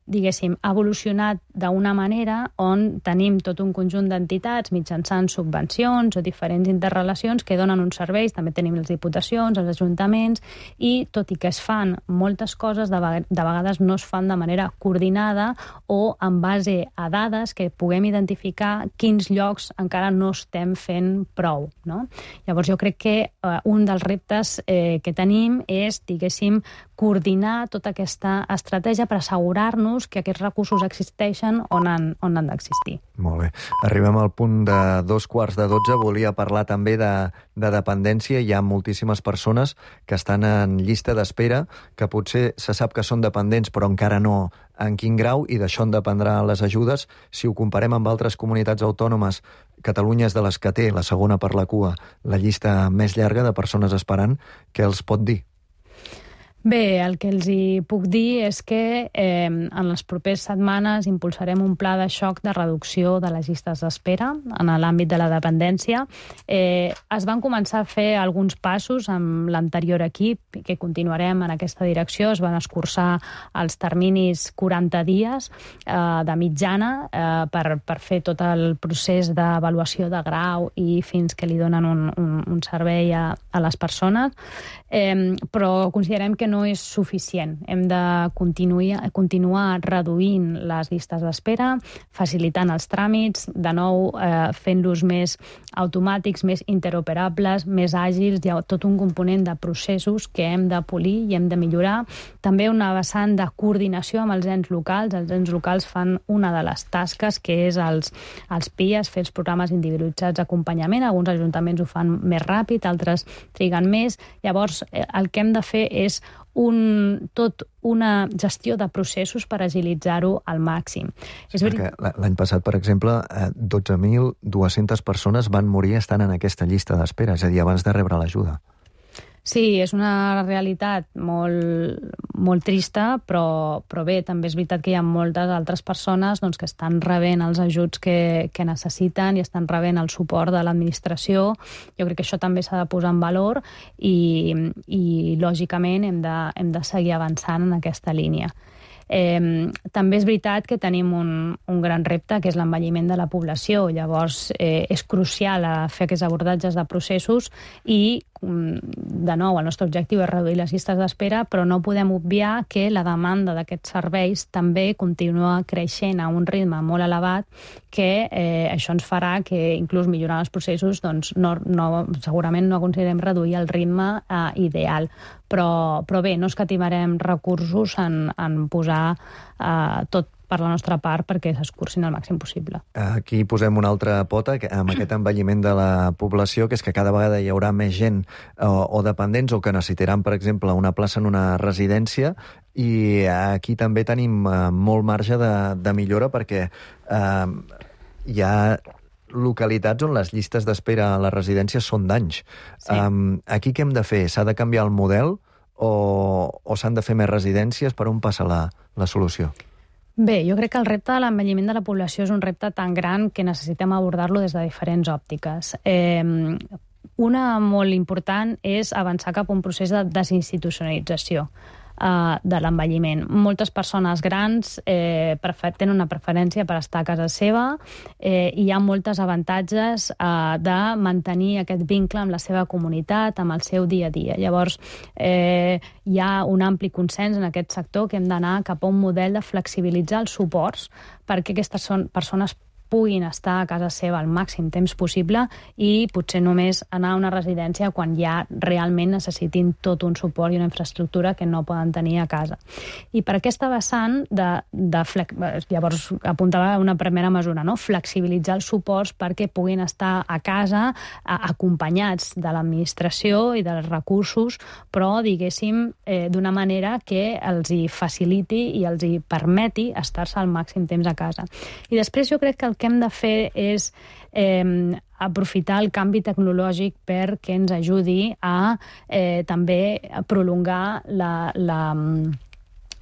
diguéssim, ha evolucionat d'una manera on tenim tot un conjunt d'entitats mitjançant subvencions o diferents interrelacions que donen uns serveis, també tenim les diputacions, els ajuntaments, i tot i que es fan moltes coses, de vegades no es fan de manera coordinada o en base a dades que puguem identificar quins llocs encara no estem fent prou, no? Llavors jo crec que eh, un dels reptes eh, que tenim és, diguéssim, coordinar tota aquesta estratègia per assegurar-nos que aquests recursos existeixen on han, on han d'existir. Molt bé. Arribem al punt de dos quarts de dotze. Volia parlar també de, de dependència. Hi ha moltíssimes persones que estan en llista d'espera, que potser se sap que són dependents, però encara no en quin grau, i d'això en dependran les ajudes. Si ho comparem amb altres comunitats autònomes, Catalunya és de les que té, la segona per la cua, la llista més llarga de persones esperant. Què els pot dir? Bé, el que els hi puc dir és que eh, en les properes setmanes impulsarem un pla de xoc de reducció de les llistes d'espera en l'àmbit de la dependència. Eh, es van començar a fer alguns passos amb l'anterior equip, que continuarem en aquesta direcció. Es van escurçar els terminis quaranta dies eh, de mitjana eh, per, per fer tot el procés d'avaluació de grau i fins que li donen un, un, un servei a, a les persones. Eh, però considerem que no no és suficient. Hem de continuar, continuar reduint les llistes d'espera, facilitant els tràmits, de nou eh, fent-los més automàtics, més interoperables, més àgils. Hi ha tot un component de processos que hem de polir i hem de millorar. També una vessant de coordinació amb els ens locals. Els ens locals fan una de les tasques, que és els, els P I A S, fer els programes individualitzats d'acompanyament. Alguns ajuntaments ho fan més ràpid, altres triguen més. Llavors, el que hem de fer és un, tot una gestió de processos per agilitzar-ho al màxim. Sí, perquè l'any passat, per exemple, dotze mil dues-centes persones van morir estant en aquesta llista d'espera, és a dir, abans de rebre l'ajuda. Sí, és una realitat molt, molt trista, però, però bé, també és veritat que hi ha moltes altres persones doncs, que estan rebent els ajuts que, que necessiten i estan rebent el suport de l'administració. Jo crec que això també s'ha de posar en valor i, i lògicament, hem de, hem de seguir avançant en aquesta línia. Eh, també és veritat que tenim un, un gran repte, que és l'envelliment de la població. Llavors, eh, és crucial a fer aquests abordatges de processos i, de nou, el nostre objectiu és reduir les llistes d'espera, però no podem obviar que la demanda d'aquests serveis també continua creixent a un ritme molt elevat, que eh, això ens farà que, inclús millorant els processos, doncs no, no, segurament no aconseguirem reduir el ritme eh, ideal. Però, però bé, no escatimarem recursos en, en posar eh, tot per la nostra part perquè s'escurcin el màxim possible. Aquí posem una altra pota amb aquest envelliment de la població, que és que cada vegada hi haurà més gent o, o dependents o que necessitaran, per exemple, una plaça en una residència, i aquí també tenim eh, molt marge de, de millora perquè eh, hi ha localitats on les llistes d'espera a les residències són d'anys. Sí. Um, aquí què hem de fer? S'ha de canviar el model o, o s'han de fer més residències? Per on passa la, la solució? Bé, jo crec que el repte de l'envelliment de la població és un repte tan gran que necessitem abordar-lo des de diferents òptiques. Eh, una molt important és avançar cap a un procés de desinstitucionalització de l'envelliment. Moltes persones grans eh, tenen una preferència per estar a casa seva eh, i hi ha moltes avantatges eh, de mantenir aquest vincle amb la seva comunitat, amb el seu dia a dia. Llavors, eh, hi ha un ampli consens en aquest sector que hem d'anar cap a un model de flexibilitzar els suports perquè aquestes són persones puguin estar a casa seva el màxim temps possible i potser només anar a una residència quan ja realment necessitin tot un suport i una infraestructura que no poden tenir a casa. I per aquesta vessant, de, de flex... llavors apuntava una primera mesura, no? Flexibilitzar els suports perquè puguin estar a casa a, acompanyats de l'administració i dels recursos, però, diguéssim, eh, d'una manera que els hi faciliti i els hi permeti estar-se al màxim temps a casa. I després jo crec que el que hem de fer és eh, aprofitar el canvi tecnològic perquè ens ajudi a eh, també a prolongar la, la,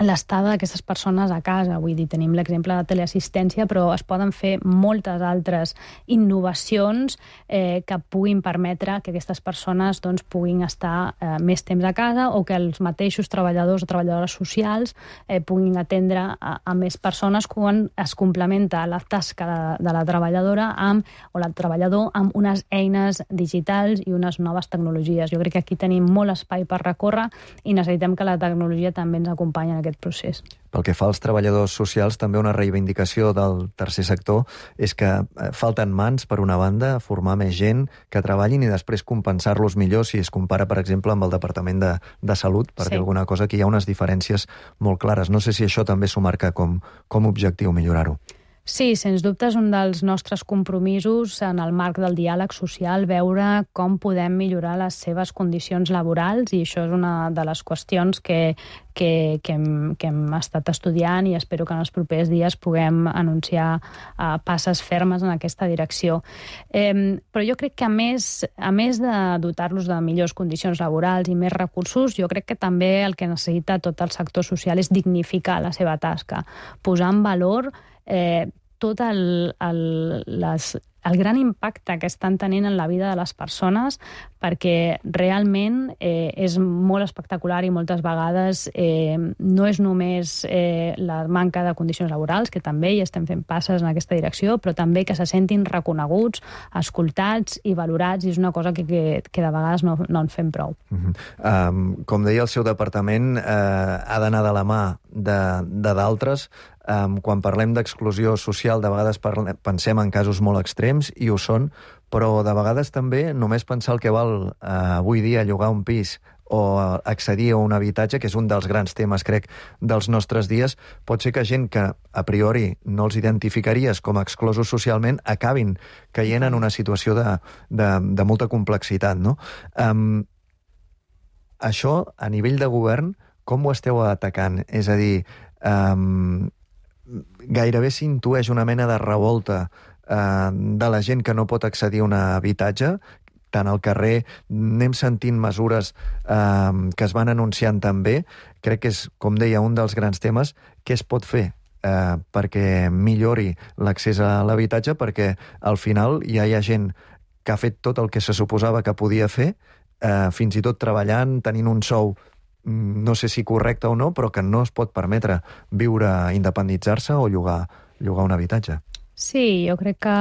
l'estada d'aquestes persones a casa. Vull dir, tenim l'exemple de teleassistència, però es poden fer moltes altres innovacions eh, que puguin permetre que aquestes persones doncs, puguin estar eh, més temps a casa, o que els mateixos treballadors o treballadores socials eh, puguin atendre a, a més persones quan es complementa la tasca de, de la treballadora amb, o el treballador amb unes eines digitals i unes noves tecnologies. Jo crec que aquí tenim molt espai per recórrer i necessitem que la tecnologia també ens acompanyi en aquest procés. Pel que fa als treballadors socials, també una reivindicació del tercer sector és que falten mans, per una banda, formar més gent que treballin i després compensar-los millor si es compara, per exemple, amb el Departament de, de Salut, per dir alguna cosa, que hi ha unes diferències molt clares. No sé si això també s'ho marca com, com objectiu, millorar-ho. Sí, sens dubte és un dels nostres compromisos en el marc del diàleg social, veure com podem millorar les seves condicions laborals, i això és una de les qüestions que, que, que, hem, que hem estat estudiant, i espero que en els propers dies puguem anunciar uh, passes fermes en aquesta direcció. Eh, però jo crec que a més, a més de dotar-los de millors condicions laborals i més recursos, jo crec que també el que necessita tot el sector social és dignificar la seva tasca, posar en valor Eh, tot el, el, les, el gran impacte que estan tenint en la vida de les persones, perquè realment eh, és molt espectacular i moltes vegades eh, no és només eh, la manca de condicions laborals, que també hi estem fent passes en aquesta direcció, però també que se sentin reconeguts, escoltats i valorats, i és una cosa que, que, que de vegades no, no en fem prou. Uh-huh. um, com deia, el seu departament eh, ha d'anar de la mà de, de d'altres. Um, quan parlem d'exclusió social, de vegades parlem, pensem en casos molt extrems, i ho són, però de vegades també només pensar el que val eh, avui dia llogar un pis o accedir a un habitatge, que és un dels grans temes, crec, dels nostres dies, pot ser que gent que a priori no els identificaries com a exclosos socialment acabin caient en una situació de, de, de molta complexitat, no? Um, això, a nivell de govern, com ho esteu atacant? És a dir, um, gairebé s'intueix una mena de revolta eh, de la gent que no pot accedir a un habitatge. Tant al carrer anem sentint mesures eh, que es van anunciant també. Crec que és, com deia, un dels grans temes. Què es pot fer eh, perquè millori l'accés a l'habitatge? Perquè al final ja hi ha gent que ha fet tot el que se suposava que podia fer, eh, fins i tot treballant, tenint un sou no sé si correcte o no, però que no es pot permetre viure, independitzar-se o llogar, llogar un habitatge. Sí, jo crec que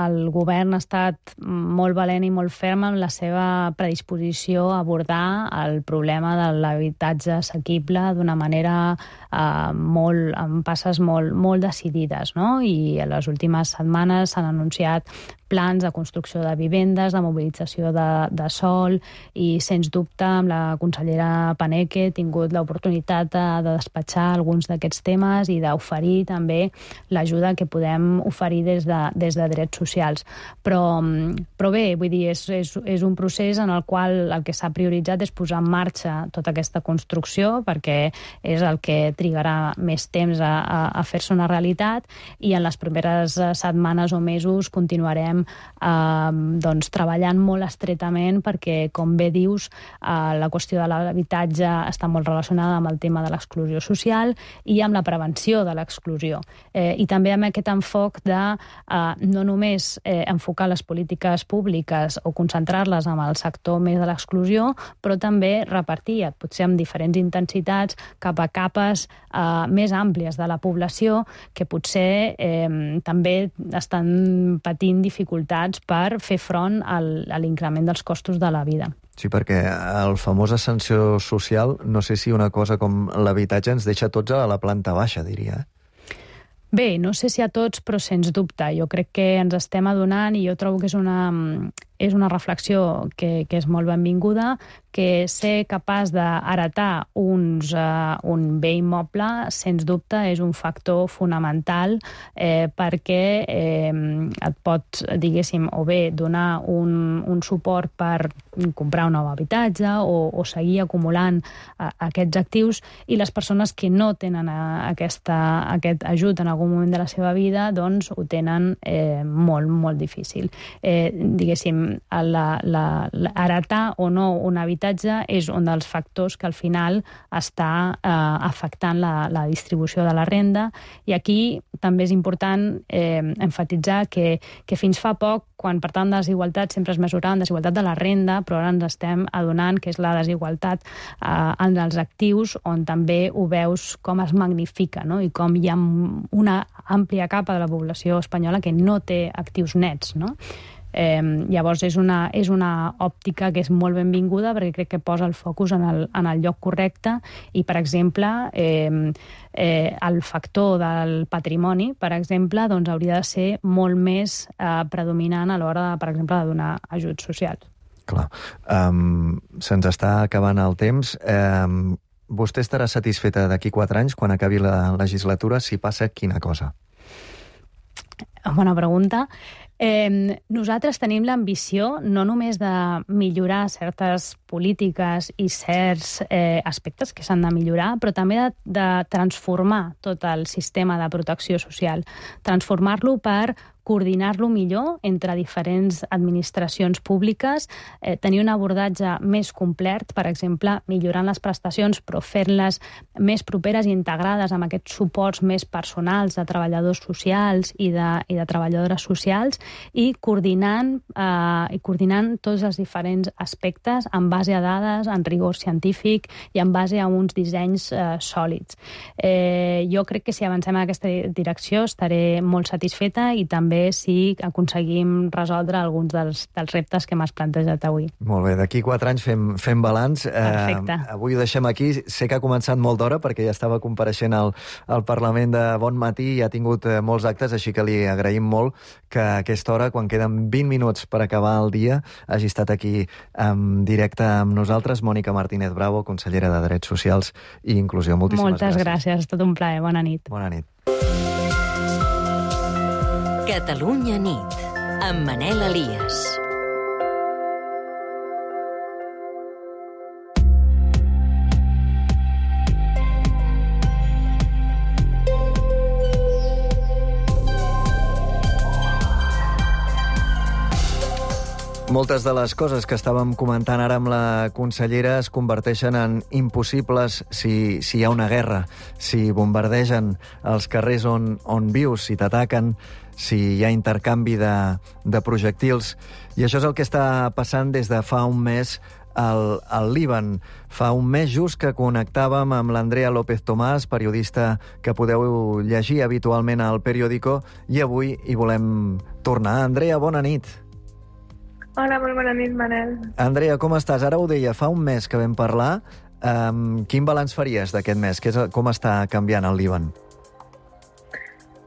el govern ha estat molt valent i molt ferm en la seva predisposició a abordar el problema de l'habitatge assequible d'una manera eh, molt, amb passes molt, molt decidides, no? I en les últimes setmanes s'han anunciat plans de construcció de vivendes, de mobilització de, de sòl, i sens dubte amb la consellera Paneque he tingut l'oportunitat de, de despatxar alguns d'aquests temes i d'oferir també l'ajuda que podem oferir des de, des de drets socials. Però, però bé, vull dir, és, és, és un procés en el qual el que s'ha prioritzat és posar en marxa tota aquesta construcció, perquè és el que trigarà més temps a, a, a fer-se una realitat, i en les primeres setmanes o mesos continuarem Eh, doncs, treballant molt estretament, perquè, com bé dius, eh, la qüestió de l'habitatge està molt relacionada amb el tema de l'exclusió social i amb la prevenció de l'exclusió. Eh, I també amb aquest enfoc de eh, no només eh, enfocar les polítiques públiques o concentrar-les en el sector més de l'exclusió, però també repartir, potser amb diferents intensitats, cap a capes eh, més àmplies de la població que potser eh, també estan patint dificultats dificultats per fer front al, a l'increment dels costos de la vida. Sí, perquè el famós ascensor social, no sé si una cosa com l'habitatge ens deixa tots a la planta baixa, diria. Bé, no sé si a tots, però sens dubte. Jo crec que ens estem adonant, i jo trobo que és una, és una reflexió que, que és molt benvinguda, que ser capaç d'heretar uns, uh, un bé immoble, sens dubte, és un factor fonamental eh, perquè eh, et pot, diguéssim, o bé donar un, un suport per comprar un nou habitatge o, o seguir acumulant uh, aquests actius, i les persones que no tenen uh, aquesta, aquest ajut en algun moment de la seva vida, doncs ho tenen eh, molt, molt difícil. Eh, diguéssim, la, la, la, heretar o no un habitatge és un dels factors que al final està eh, afectant la, la distribució de la renda, i aquí també és important eh, enfatitzar que, que fins fa poc, quan per tant de desigualtat sempre es mesurava en desigualtat de la renda, però ara ens estem adonant que és la desigualtat eh, en els actius, on també ho veus com es magnifica, no? I com hi ha una àmplia capa de la població espanyola que no té actius nets, no? Eh, llavors és una, és una òptica que és molt benvinguda perquè crec que posa el focus en el, en el lloc correcte, i per exemple eh, eh, el factor del patrimoni, per exemple, doncs hauria de ser molt més eh, predominant a l'hora, per exemple, de donar ajuts socials. Clar. Um, se'ns està acabant el temps. Um, vostè estarà satisfeta d'aquí quatre anys, quan acabi la legislatura, si passa quina cosa? Bona pregunta. Eh, nosaltres tenim l'ambició no només de millorar certes polítiques i certs eh, aspectes que s'han de millorar, però també de, de transformar tot el sistema de protecció social, transformar-lo per coordinar-lo millor entre diferents administracions públiques, eh, tenir un abordatge més complet, per exemple, millorant les prestacions, però fent-les més properes i integrades amb aquests suports més personals de treballadors socials i de, i de treballadores socials, i coordinant, eh, i coordinant tots els diferents aspectes en base a dades, en rigor científic i en base a uns dissenys eh, sòlids. Eh, jo crec que si avancem en aquesta direcció estaré molt satisfeta, i també si aconseguim resoldre alguns dels, dels reptes que m'has plantejat avui. Molt bé, d'aquí quatre anys fem, fem balanç. Perfecte. Eh, avui ho deixem aquí. Sé que ha començat molt d'hora perquè ja estava compareixent al, al Parlament de Bon Matí i ha tingut eh, molts actes, així que li agraïm molt que a aquesta hora, quan queden vint minuts per acabar el dia, hagi estat aquí en directe amb nosaltres. Mònica Martínez Bravo, consellera de Drets Socials i Inclusió. Moltíssimes Moltes gràcies. gràcies, ha estat un plaer. Bona nit. Bona nit. Catalunya nit, amb Manel Elias. Moltes de les coses que estàvem comentant ara amb la consellera es converteixen en impossibles si, si hi ha una guerra, si bombardegen els carrers on, on vius, si t'ataquen, si hi ha intercanvi de, de projectils. I això és el que està passant des de fa un mes al, al Líban. Fa un mes just que connectàvem amb l'Andrea López Tomàs, periodista que podeu llegir habitualment al Periódico, i avui hi volem tornar. Andrea, bona nit. Hola, molt bona nit, Manel. Andrea, com estàs? Ara ho deia, fa un mes que vam parlar. Um, quin balanç faries d'aquest mes? Que és, com està canviant el Líban?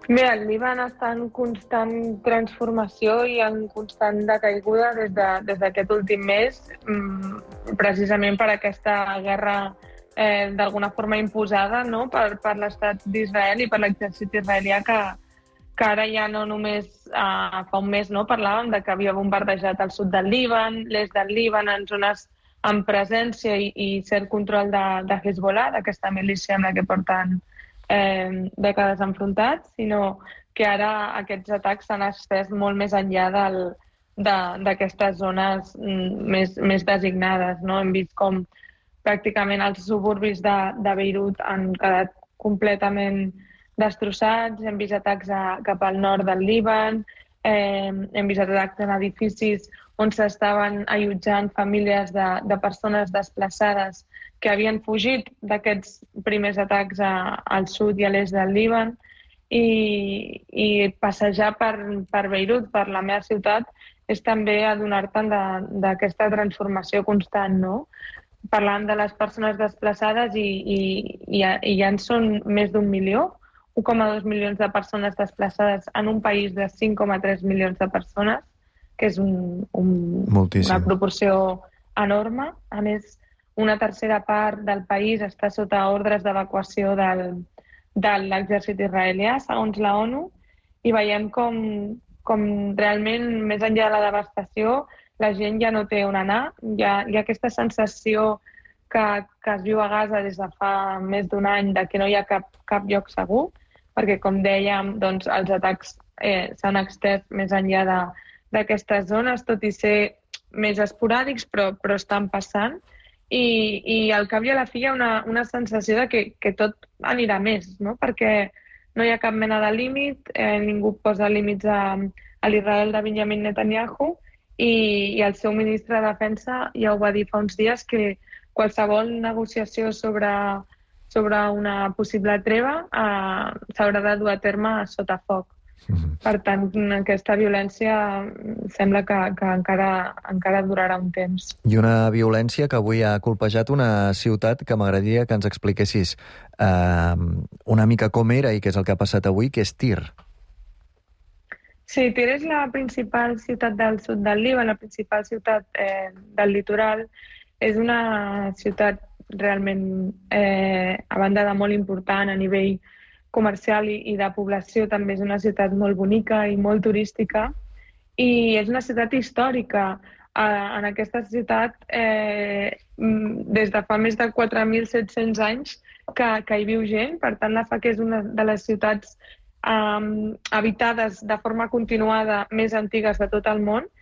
Bé, el Líban està en constant transformació i en constant decaiguda des de, des d'aquest últim mes, precisament per aquesta guerra eh, d'alguna forma imposada, no?, per, per l'estat d'Israel i per l'exèrcit israelià, que, que ara ja no només eh, fa un mes no, parlàvem de que havia bombardejat el sud del Líban, l'est del Líban, en zones amb presència i, i cert control de, de Hezbollah, d'aquesta milícia amb la que porten eh, dècades enfrontats, sinó que ara aquests atacs s'han estès molt més enllà del, de, d'aquestes zones més, més designades. No? Hem vist com pràcticament els suburbis de, de Beirut han quedat completament destrossats, hem vist atacs a, cap al nord del Líban, eh, hem vist atacs en edificis on s'estaven allotjant famílies de, de persones desplaçades que havien fugit d'aquests primers atacs a, al sud i a l'est del Líban, i, i passejar per, per Beirut, per la meva ciutat, és també adonar-te'n d'aquesta transformació constant, no? Parlant de les persones desplaçades, i, i, i, i ja en són més d'un milió, un coma dos milions de persones desplaçades en un país de cinc coma tres milions de persones, que és un, un, una proporció enorme. A més, una tercera part del país està sota ordres d'evacuació del, de l'exèrcit israelià, segons la ONU, i veiem com, com realment, més enllà de la devastació, la gent ja no té on anar. Hi ha, hi ha aquesta sensació que, que es viu a Gaza des de fa més d'un any, de que no hi ha cap, cap lloc segur, perquè, com dèiem, doncs, els atacs eh, s'han extès més enllà de, d'aquestes zones, tot i ser més esporàdics, però, però estan passant. I, i al cap i a la fi hi ha una, una sensació de que, que tot anirà més, no? Perquè no hi ha cap mena de límit, eh, ningú posa límits a, a l'Israel de Benjamin Netanyahu i, i el seu ministre de Defensa ja ho va dir fa uns dies que qualsevol negociació sobre, sobre una possible treva eh, s'haurà de dur a terme sota foc. Mm-hmm. Per tant, aquesta violència sembla que, que encara, encara durarà un temps. I una violència que avui ha colpejat una ciutat que m'agradaria que ens expliquessis eh, una mica com era i què és el que ha passat avui, que és Tir. Sí, Tir és la principal ciutat del sud del Líban, la principal ciutat eh, del litoral. És una ciutat realment, eh, a banda de molt important a nivell comercial i, i de població, també és una ciutat molt bonica i molt turística i és una ciutat històrica. Eh, en aquesta ciutat, eh, des de fa més de quatre mil set-cents anys que, que hi viu gent, per tant la fa que és una de les ciutats eh, habitades de forma continuada més antigues de tot el món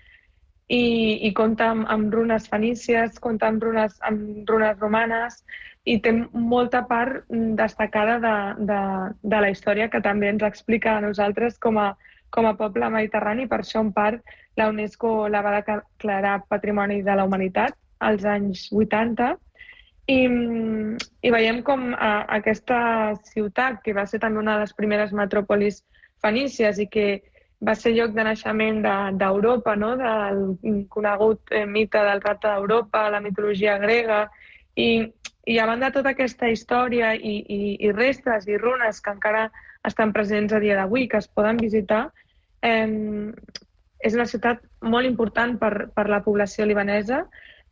i, i compta amb, amb runes fenícies, compta amb runes, amb runes romanes i té molta part destacada de, de, de la història que també ens explica a nosaltres com a, com a poble mediterrani. Per això, en part, la UNESCO la va declarar Patrimoni de la Humanitat als anys vuitanta. I, i veiem com a, aquesta ciutat, que va ser també una de les primeres metròpolis fenícies i que va ser lloc de naixement d'Europa, no? Del conegut eh, mite del rapte d'Europa, la mitologia grega, i I a banda de tota aquesta història i, i, i restes i runes que encara estan presents a dia d'avui, que es poden visitar, eh, és una ciutat molt important per, per la població libanesa,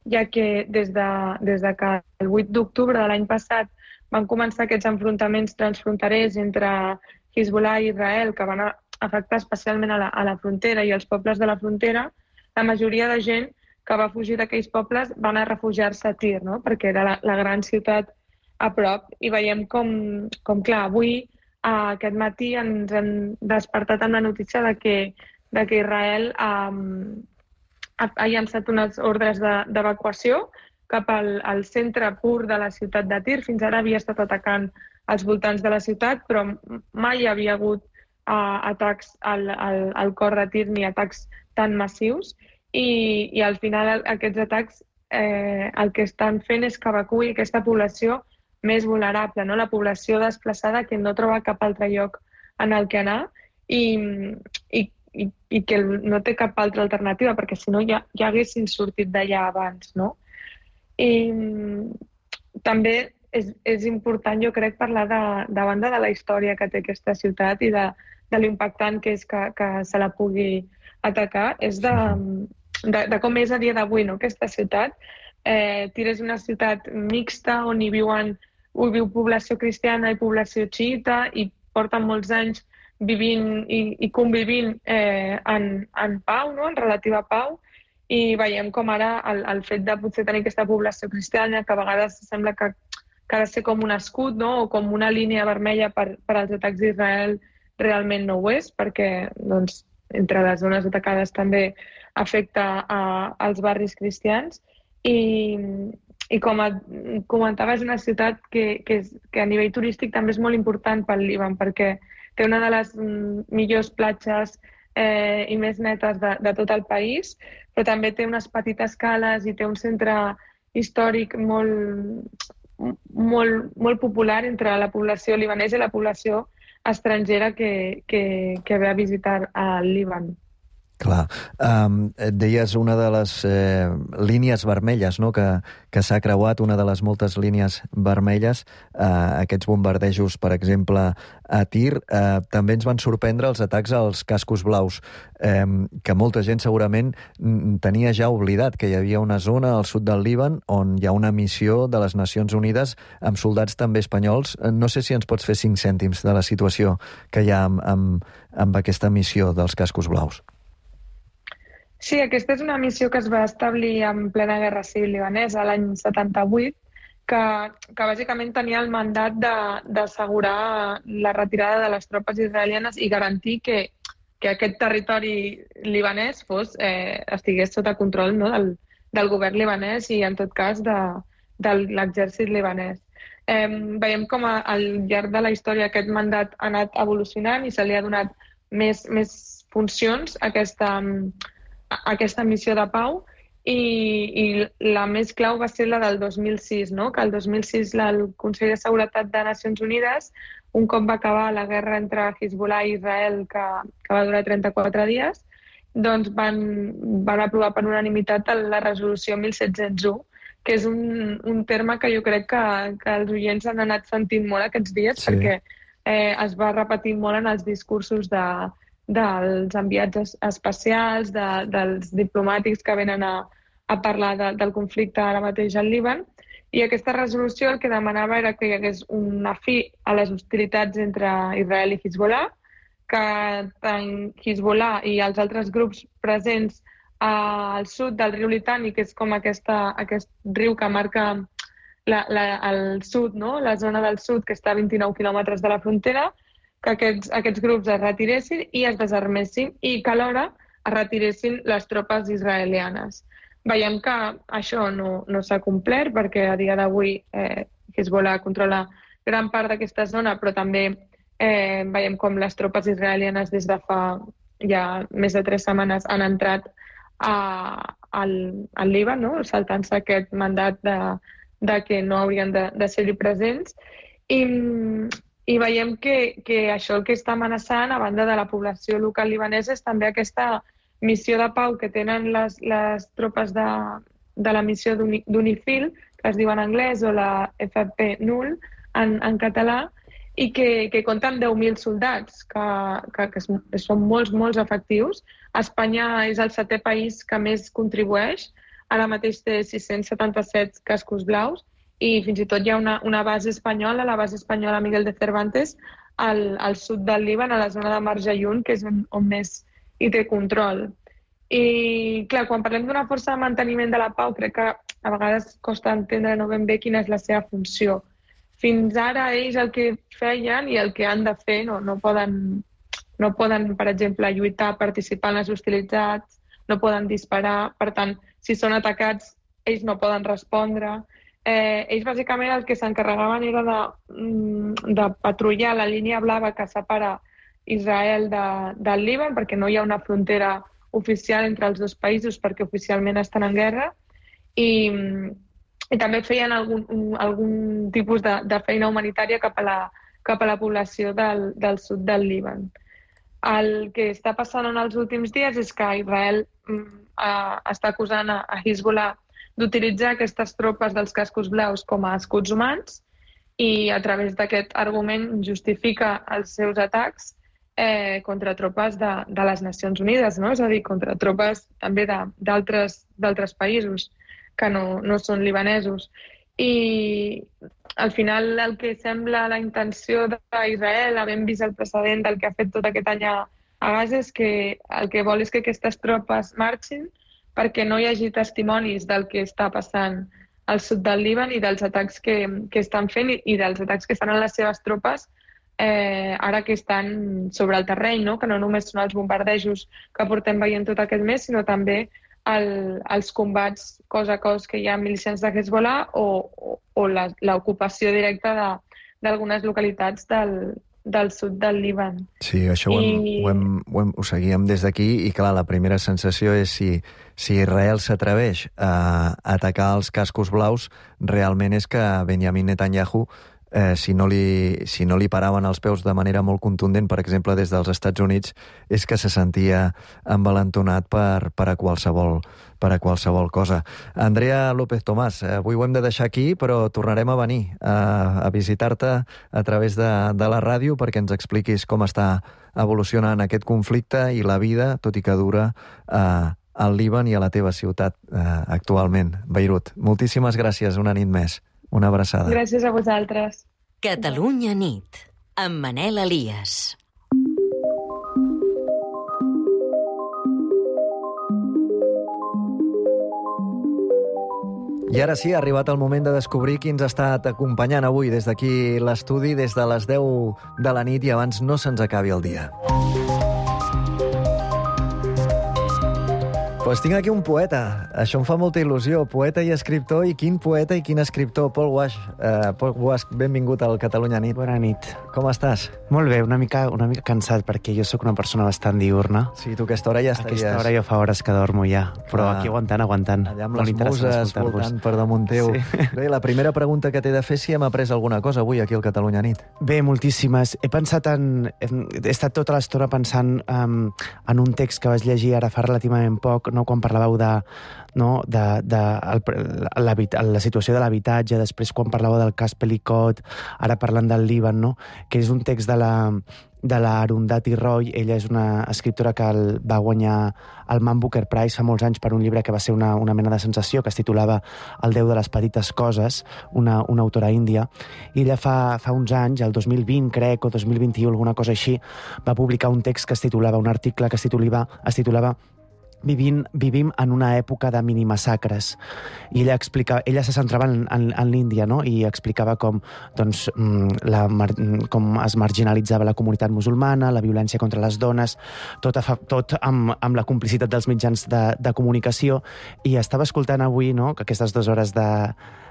ja que des de, des de que el vuit d'octubre de l'any passat van començar aquests enfrontaments transfronterers entre Hezbollah i Israel, que van afectar especialment a la, a la frontera i als pobles de la frontera, la majoria de gent que va fugir d'aquells pobles van a refugiar-se a Tir, no? Perquè era la, la gran ciutat a prop. I veiem com, com clar, avui, eh, aquest matí, ens han despertat amb la notícia de que, de que Israel eh, ha, ha llançat unes ordres d'evacuació de, cap al, al centre pur de la ciutat de Tir. Fins ara havia estat atacant als voltants de la ciutat, però mai hi havia hagut eh, atacs al, al, al cor de Tir ni atacs tan massius. I, i al final aquests atacs eh, el que estan fent és que evacuï aquesta població més vulnerable, no? La població desplaçada que no troba cap altre lloc en el que anar i, i, i, i que no té cap altra alternativa, perquè si no ja, ja haguessin sortit d'allà abans, no? I també és, és important, jo crec, parlar de, de banda de la història que té aquesta ciutat i de, de l'impactant que és que, que se la pugui atacar, és de... De, de com és a dia d'avui, no? Aquesta ciutat. Eh, Tir és una ciutat mixta on hi viuen, hi viu població cristiana i població xiita i porten molts anys vivint i, i convivint eh, en, en pau, no? En relativa pau, i veiem com ara el, el fet de potser tenir aquesta població cristiana que a vegades sembla que, que ha de ser com un escut, no? O com una línia vermella per, per als atacs d'Israel, realment no ho és, perquè doncs, entre les zones atacades també afecta a, als barris cristians i, i com a, comentava, és una ciutat que, que, és, que a nivell turístic també és molt important pel Líban perquè té una de les millors platges eh, i més netes de, de tot el país, però també té unes petites cales i té un centre històric molt, molt, molt popular entre la població libanesa i la població estrangera que, que, que ve a visitar al Líban. Clar. Um, et deies una de les eh, línies vermelles, no?, que, que s'ha creuat, una de les moltes línies vermelles, eh, aquests bombardejos, per exemple, a Tir. Eh, també ens van sorprendre els atacs als cascos blaus, eh, que molta gent segurament tenia ja oblidat que hi havia una zona al sud del Líban on hi ha una missió de les Nacions Unides amb soldats també espanyols. No sé si ens pots fer cinc cèntims de la situació que hi ha amb, amb, amb aquesta missió dels cascos blaus. Sí, aquesta és una missió que es va establir en plena Guerra Civil libanesa l'any setanta-vuit, que, que bàsicament tenia el mandat d'assegurar la retirada de les tropes israelianes i garantir que que aquest territori libanès fos, eh, estigués sota control, no? del, del govern libanès i, en tot cas, de, de l'exèrcit libanès. Eh, veiem com a, al llarg de la història aquest mandat ha anat evolucionant i se li ha donat més, més funcions a aquesta, a aquesta missió de pau i, i la més clau va ser la del dos mil sis, no? Que el dos mil sis el Consell de Seguretat de Nacions Unides, un cop va acabar la guerra entre Hezbollah i Israel, que, que va durar trenta-quatre dies, doncs van, van aprovar per unanimitat la resolució mil set-cents u, que és un, un terme que jo crec que, que els oients han anat sentint molt aquests dies, sí. perquè eh, es va repetir molt en els discursos de, dels enviats especials, de, dels diplomàtics que venen a, a parlar de, del conflicte ara mateix al Líban. I aquesta resolució el que demanava era que hi hagués una fi a les hostilitats entre Israel i Hezbollah, que tant Hezbollah i els altres grups presents al sud del riu Litani, que és com aquesta, aquest riu que marca la, la, el sud, no? La zona del sud, que està a vint-i-nou quilòmetres de la frontera, que aquests, aquests grups es retiressin i es desarmessin i que alhora es retiressin les tropes israelianes. Veiem que això no, no s'ha complert perquè a dia d'avui eh, Hezbollah controla gran part d'aquesta zona, però també eh, veiem com les tropes israelianes des de fa ja més de tres setmanes han entrat a, al, al Líban, no? Saltant-se aquest mandat de, de que no haurien de, de ser-hi presents. I, i veiem que, que això el que està amenaçant, a banda de la població local libanesa, és també aquesta missió de pau que tenen les, les tropes de, de la missió d'UNIFIL, que es diu en anglès, o la F P N U L en, en català, i que, que compta amb deu mil soldats, que, que, que són molts, molts efectius. Espanya és el setè país que més contribueix, ara mateix té sis-cents setanta-set cascos blaus, i fins i tot hi ha una, una base espanyola, la base espanyola Miguel de Cervantes, al, al sud del Líban, a la zona de Marjayun, que és on, on més hi té control. I, clar, quan parlem d'una força de manteniment de la pau, crec que a vegades costa entendre no ben bé quina és la seva funció. Fins ara ells el que feien i el que han de fer, no, no, poden, no poden, per exemple, lluitar, participar en les hostilitats, no poden disparar, per tant, si són atacats, ells no poden respondre. Eh, ells bàsicament el que s'encarregaven era de, de patrullar la línia blava que separa Israel de, del Líban, perquè no hi ha una frontera oficial entre els dos països, perquè oficialment estan en guerra, i, i també feien algun, un, algun tipus de, de feina humanitària cap a la, cap a la població del, del sud del Líban. El que està passant en els últims dies és que Israel uh, està acusant a, a Hezbollah d'utilitzar aquestes tropes dels cascos blaus com a escuts humans i a través d'aquest argument justifica els seus atacs Eh, contra tropes de, de les Nacions Unides, no? És a dir, contra tropes també d'altres països que no, no són libanesos. I al final el que sembla la intenció d'Israel, havent vist el precedent del que ha fet tot aquest any a, a Gaza, és que el que vol és que aquestes tropes marxin perquè no hi hagi testimonis del que està passant al sud del Líban i dels atacs que, que estan fent i, i dels atacs que fan les seves tropes Eh, ara que estan sobre el terreny, no? Que no només són els bombardejos que portem veient tot aquest mes, sinó també el, els combats cos a cos que hi ha milicians de Hezbollah o, o, o l'ocupació directa d'algunes localitats del, del sud del Líban. Sí, això ho, hem, I... ho, hem, ho, hem, ho seguíem des d'aquí i, clar, la primera sensació és si, si Israel s'atreveix a atacar els cascos blaus, realment és que Benjamin Netanyahu Eh, si, no li, si no li paraven els peus de manera molt contundent, per exemple, des dels Estats Units, és que se sentia envalentonat per, per, a qualsevol, per a qualsevol cosa. Andrea López Tomàs, eh, avui ho hem de deixar aquí, però tornarem a venir a, a visitar-te a través de, de la ràdio perquè ens expliquis com està evolucionant aquest conflicte i la vida, tot i que dura, eh, al Líban i a la teva ciutat eh, actualment, Beirut. Moltíssimes gràcies, una nit més. Una abraçada. Gràcies a vosaltres. Catalunya nit, amb Manel Elias. I ara sí, ha arribat el moment de descobrir qui ens ha estat acompanyant avui des d'aquí l'estudi, des de les deu de la nit i abans no se'ns acabi el dia. Pues tinc aquí un poeta. Això em fa molta il·lusió. Poeta i escriptor, i quin poeta i quin escriptor. Pol Guasch, uh, Pol Guasch, benvingut al Catalunya Nit. Bona nit. Com estàs? Molt bé, una mica, una mica cansat, perquè jo sóc una persona bastant diurna. Sí, tu aquesta hora ja estaries... Aquesta hora jo fa hores que dormo ja, però ah, aquí aguantant, aguantant. Allà amb les muses voltant per damunt teu. Sí. Bé, la primera pregunta que t'he de fer si hem après alguna cosa avui aquí al Catalunya Nit. Bé, moltíssimes. He pensat en... He estat tota l'estona pensant um, en un text que vas llegir ara fa relativament poc, no, quan parlàveu de no, de, de el, la situació de l'habitatge, després quan parlàveu del cas Pelicot, ara parlant del Líban, no? Que és un text de la, de la Arundhati Roy. Ella és una escriptora que el, va guanyar el Man Booker Prize fa molts anys per un llibre que va ser una, una mena de sensació, que es titulava El Déu de les petites coses, una, una autora índia, i ella fa, fa uns anys, el dos mil vint, crec, o dos mil vint-i-u, alguna cosa així, va publicar un text que es titulava, un article que es titulava, es titulava Vivim, vivim en una època de minimassacres. I ella explica, ella se centrava en, en, en l'Índia, no? I explicava com, doncs, la, com es marginalitzava la comunitat musulmana, la violència contra les dones, tot, a, tot amb, amb la complicitat dels mitjans de, de comunicació. I estava escoltant avui, no?, que aquestes dues hores de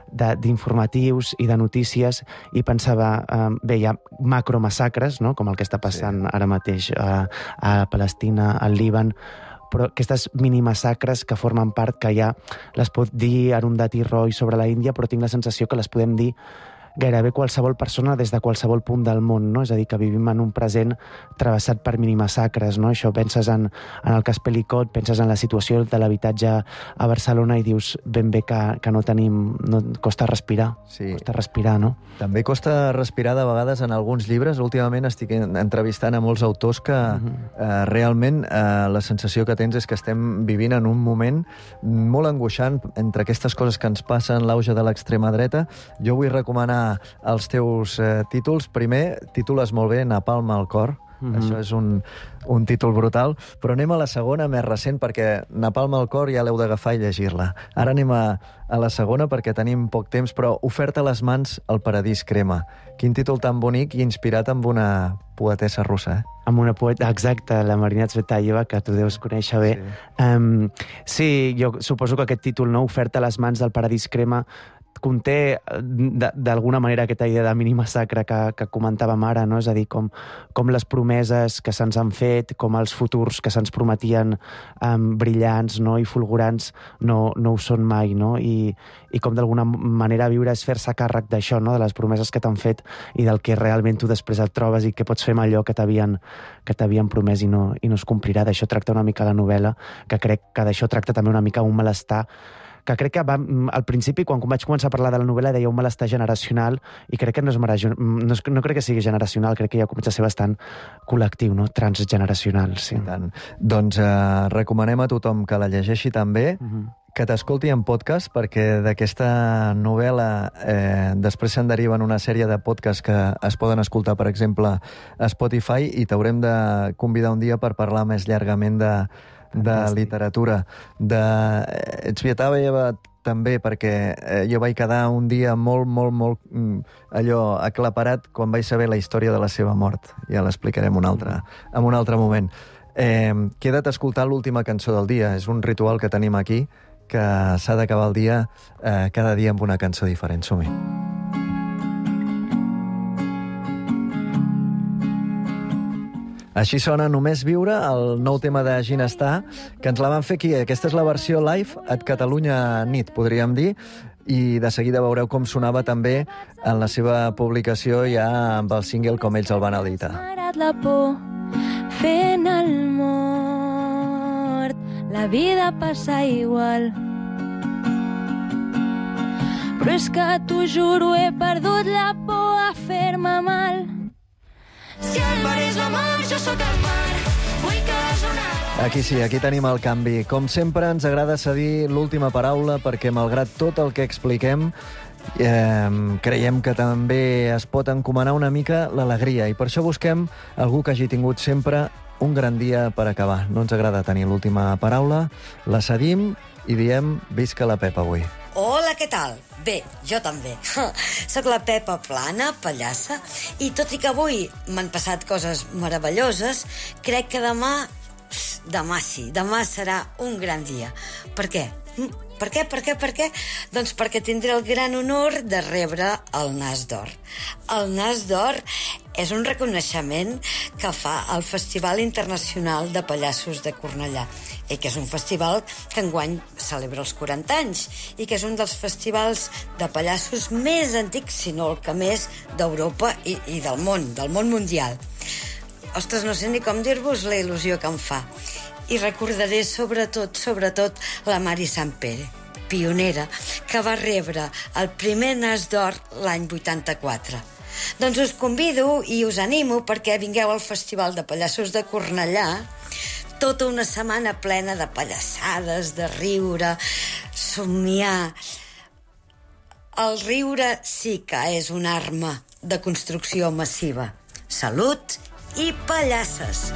d'informatius i de notícies, i pensava, eh, bé, hi ha macromassacres, no?, com el que està passant sí. ara mateix a, a Palestina, al Líban, però aquestes minimassacres que formen part, que ja les pot dir Arundhati Roy sobre la Índia, però tinc la sensació que les podem dir gairebé qualsevol persona des de qualsevol punt del món, no? És a dir, que vivim en un present travessat per minimassacres, no? Això, penses en, en el cas Pelicot, penses en la situació de l'habitatge a Barcelona i dius ben bé que, que no tenim... No, costa respirar, sí. costa respirar, no? També costa respirar de vegades en alguns llibres. Últimament estic entrevistant a molts autors que uh-huh. eh, realment eh, la sensació que tens és que estem vivint en un moment molt angoixant entre aquestes coses que ens passen, l'auge de l'extrema dreta. Jo vull recomanar els teus eh, títols. Primer, titules molt bé Napalm al cor. Mm-hmm. Això és un, un títol brutal. Però anem a la segona, més recent, perquè Napalm al cor ja l'heu d'agafar i llegir-la. Ara anem a, a la segona, perquè tenim poc temps, però Oferta a les mans, el paradís crema. Quin títol tan bonic i inspirat amb una poetessa russa, eh? Amb una poeta, exacte, la Marina Tsvetaeva, que tu deus conèixer bé. Sí, um, sí, jo suposo que aquest títol, no, Oferta a les mans del paradís crema, conté d'alguna manera aquesta idea de minimassacre que, que comentàvem ara, no? És a dir, com, com les promeses que se'ns han fet, com els futurs que se'ns prometien um, brillants, no?, i fulgurants no, no ho són mai, no? I, i com d'alguna manera viure és fer-se càrrec d'això, no?, de les promeses que t'han fet i del que realment tu després et trobes i que pots fer amb allò que t'havien que t'havien promès i no, i no es complirà. D'això tracta una mica la novel·la, que crec que d'això tracta també una mica un malestar que crec que va, al principi, quan vaig començar a parlar de la novel·la, deia un malestar generacional, i crec que no, és marajo, no, és, no crec que sigui generacional, crec que ja comença a ser bastant col·lectiu, no? Transgeneracional, sí. I tant. Doncs eh, recomanem a tothom que la llegeixi també, uh-huh. que t'escolti en podcast, perquè d'aquesta novel·la eh, després se'n deriven una sèrie de podcasts que es poden escoltar, per exemple, a Spotify, i t'haurem de convidar un dia per parlar més llargament de de literatura. De Tsvetaeva també, perquè eh, jo vaig quedar un dia molt, molt, molt mm, allò aclaparat quan vaig saber la història de la seva mort. Ja l'explicarem un altre, en un altre moment. Eh, queda't a escoltar l'última cançó del dia. És un ritual que tenim aquí, que s'ha d'acabar el dia eh, cada dia amb una cançó diferent. Som-hi. Així sona Només viure, el nou tema de Ginestar, que ens la van fer aquí. Aquesta és la versió live at Catalunya Nit, podríem dir, i de seguida veureu com sonava també en la seva publicació ja amb el single com ells el van editar. M'agrada la por fent el mort, la vida passa igual. Però és que t'ho juro, he perdut la por a fer-me mal. Si el mar és la mar, jo sóc el mar, vull que la jornada... Aquí sí, aquí tenim el canvi. Com sempre, ens agrada cedir l'última paraula perquè, malgrat tot el que expliquem, eh, creiem que també es pot encomanar una mica l'alegria, i per això busquem algú que hagi tingut sempre un gran dia per acabar. No ens agrada tenir l'última paraula, la cedim i diem visca la Pepa avui. Hola, què tal? Bé, jo també. Soc la Pepa Plana, pallassa, i tot i que avui m'han passat coses meravelloses, crec que demà demà sí, demà serà un gran dia. Per què? Per què, per què, per què? Doncs perquè tindré el gran honor de rebre el Nas d'Or. El Nas d'Or és un reconeixement que fa el Festival Internacional de Pallassos de Cornellà, i que és un festival que enguany celebra els quaranta anys, i que és un dels festivals de pallassos més antics, si no el que més, d'Europa i, i del món, del món mundial. Ostres, no sé ni com dir-vos la il·lusió que em fa. I recordaré sobretot, sobretot, la Mari Sampere, pionera, que va rebre el primer Nas d'Or l'any vuitanta-quatre. Doncs us convido i us animo perquè vingueu al Festival de Pallassos de Cornellà, tota una setmana plena de pallassades, de riure, somiar. El riure sí que és una arma de construcció massiva. Salut i pallasses!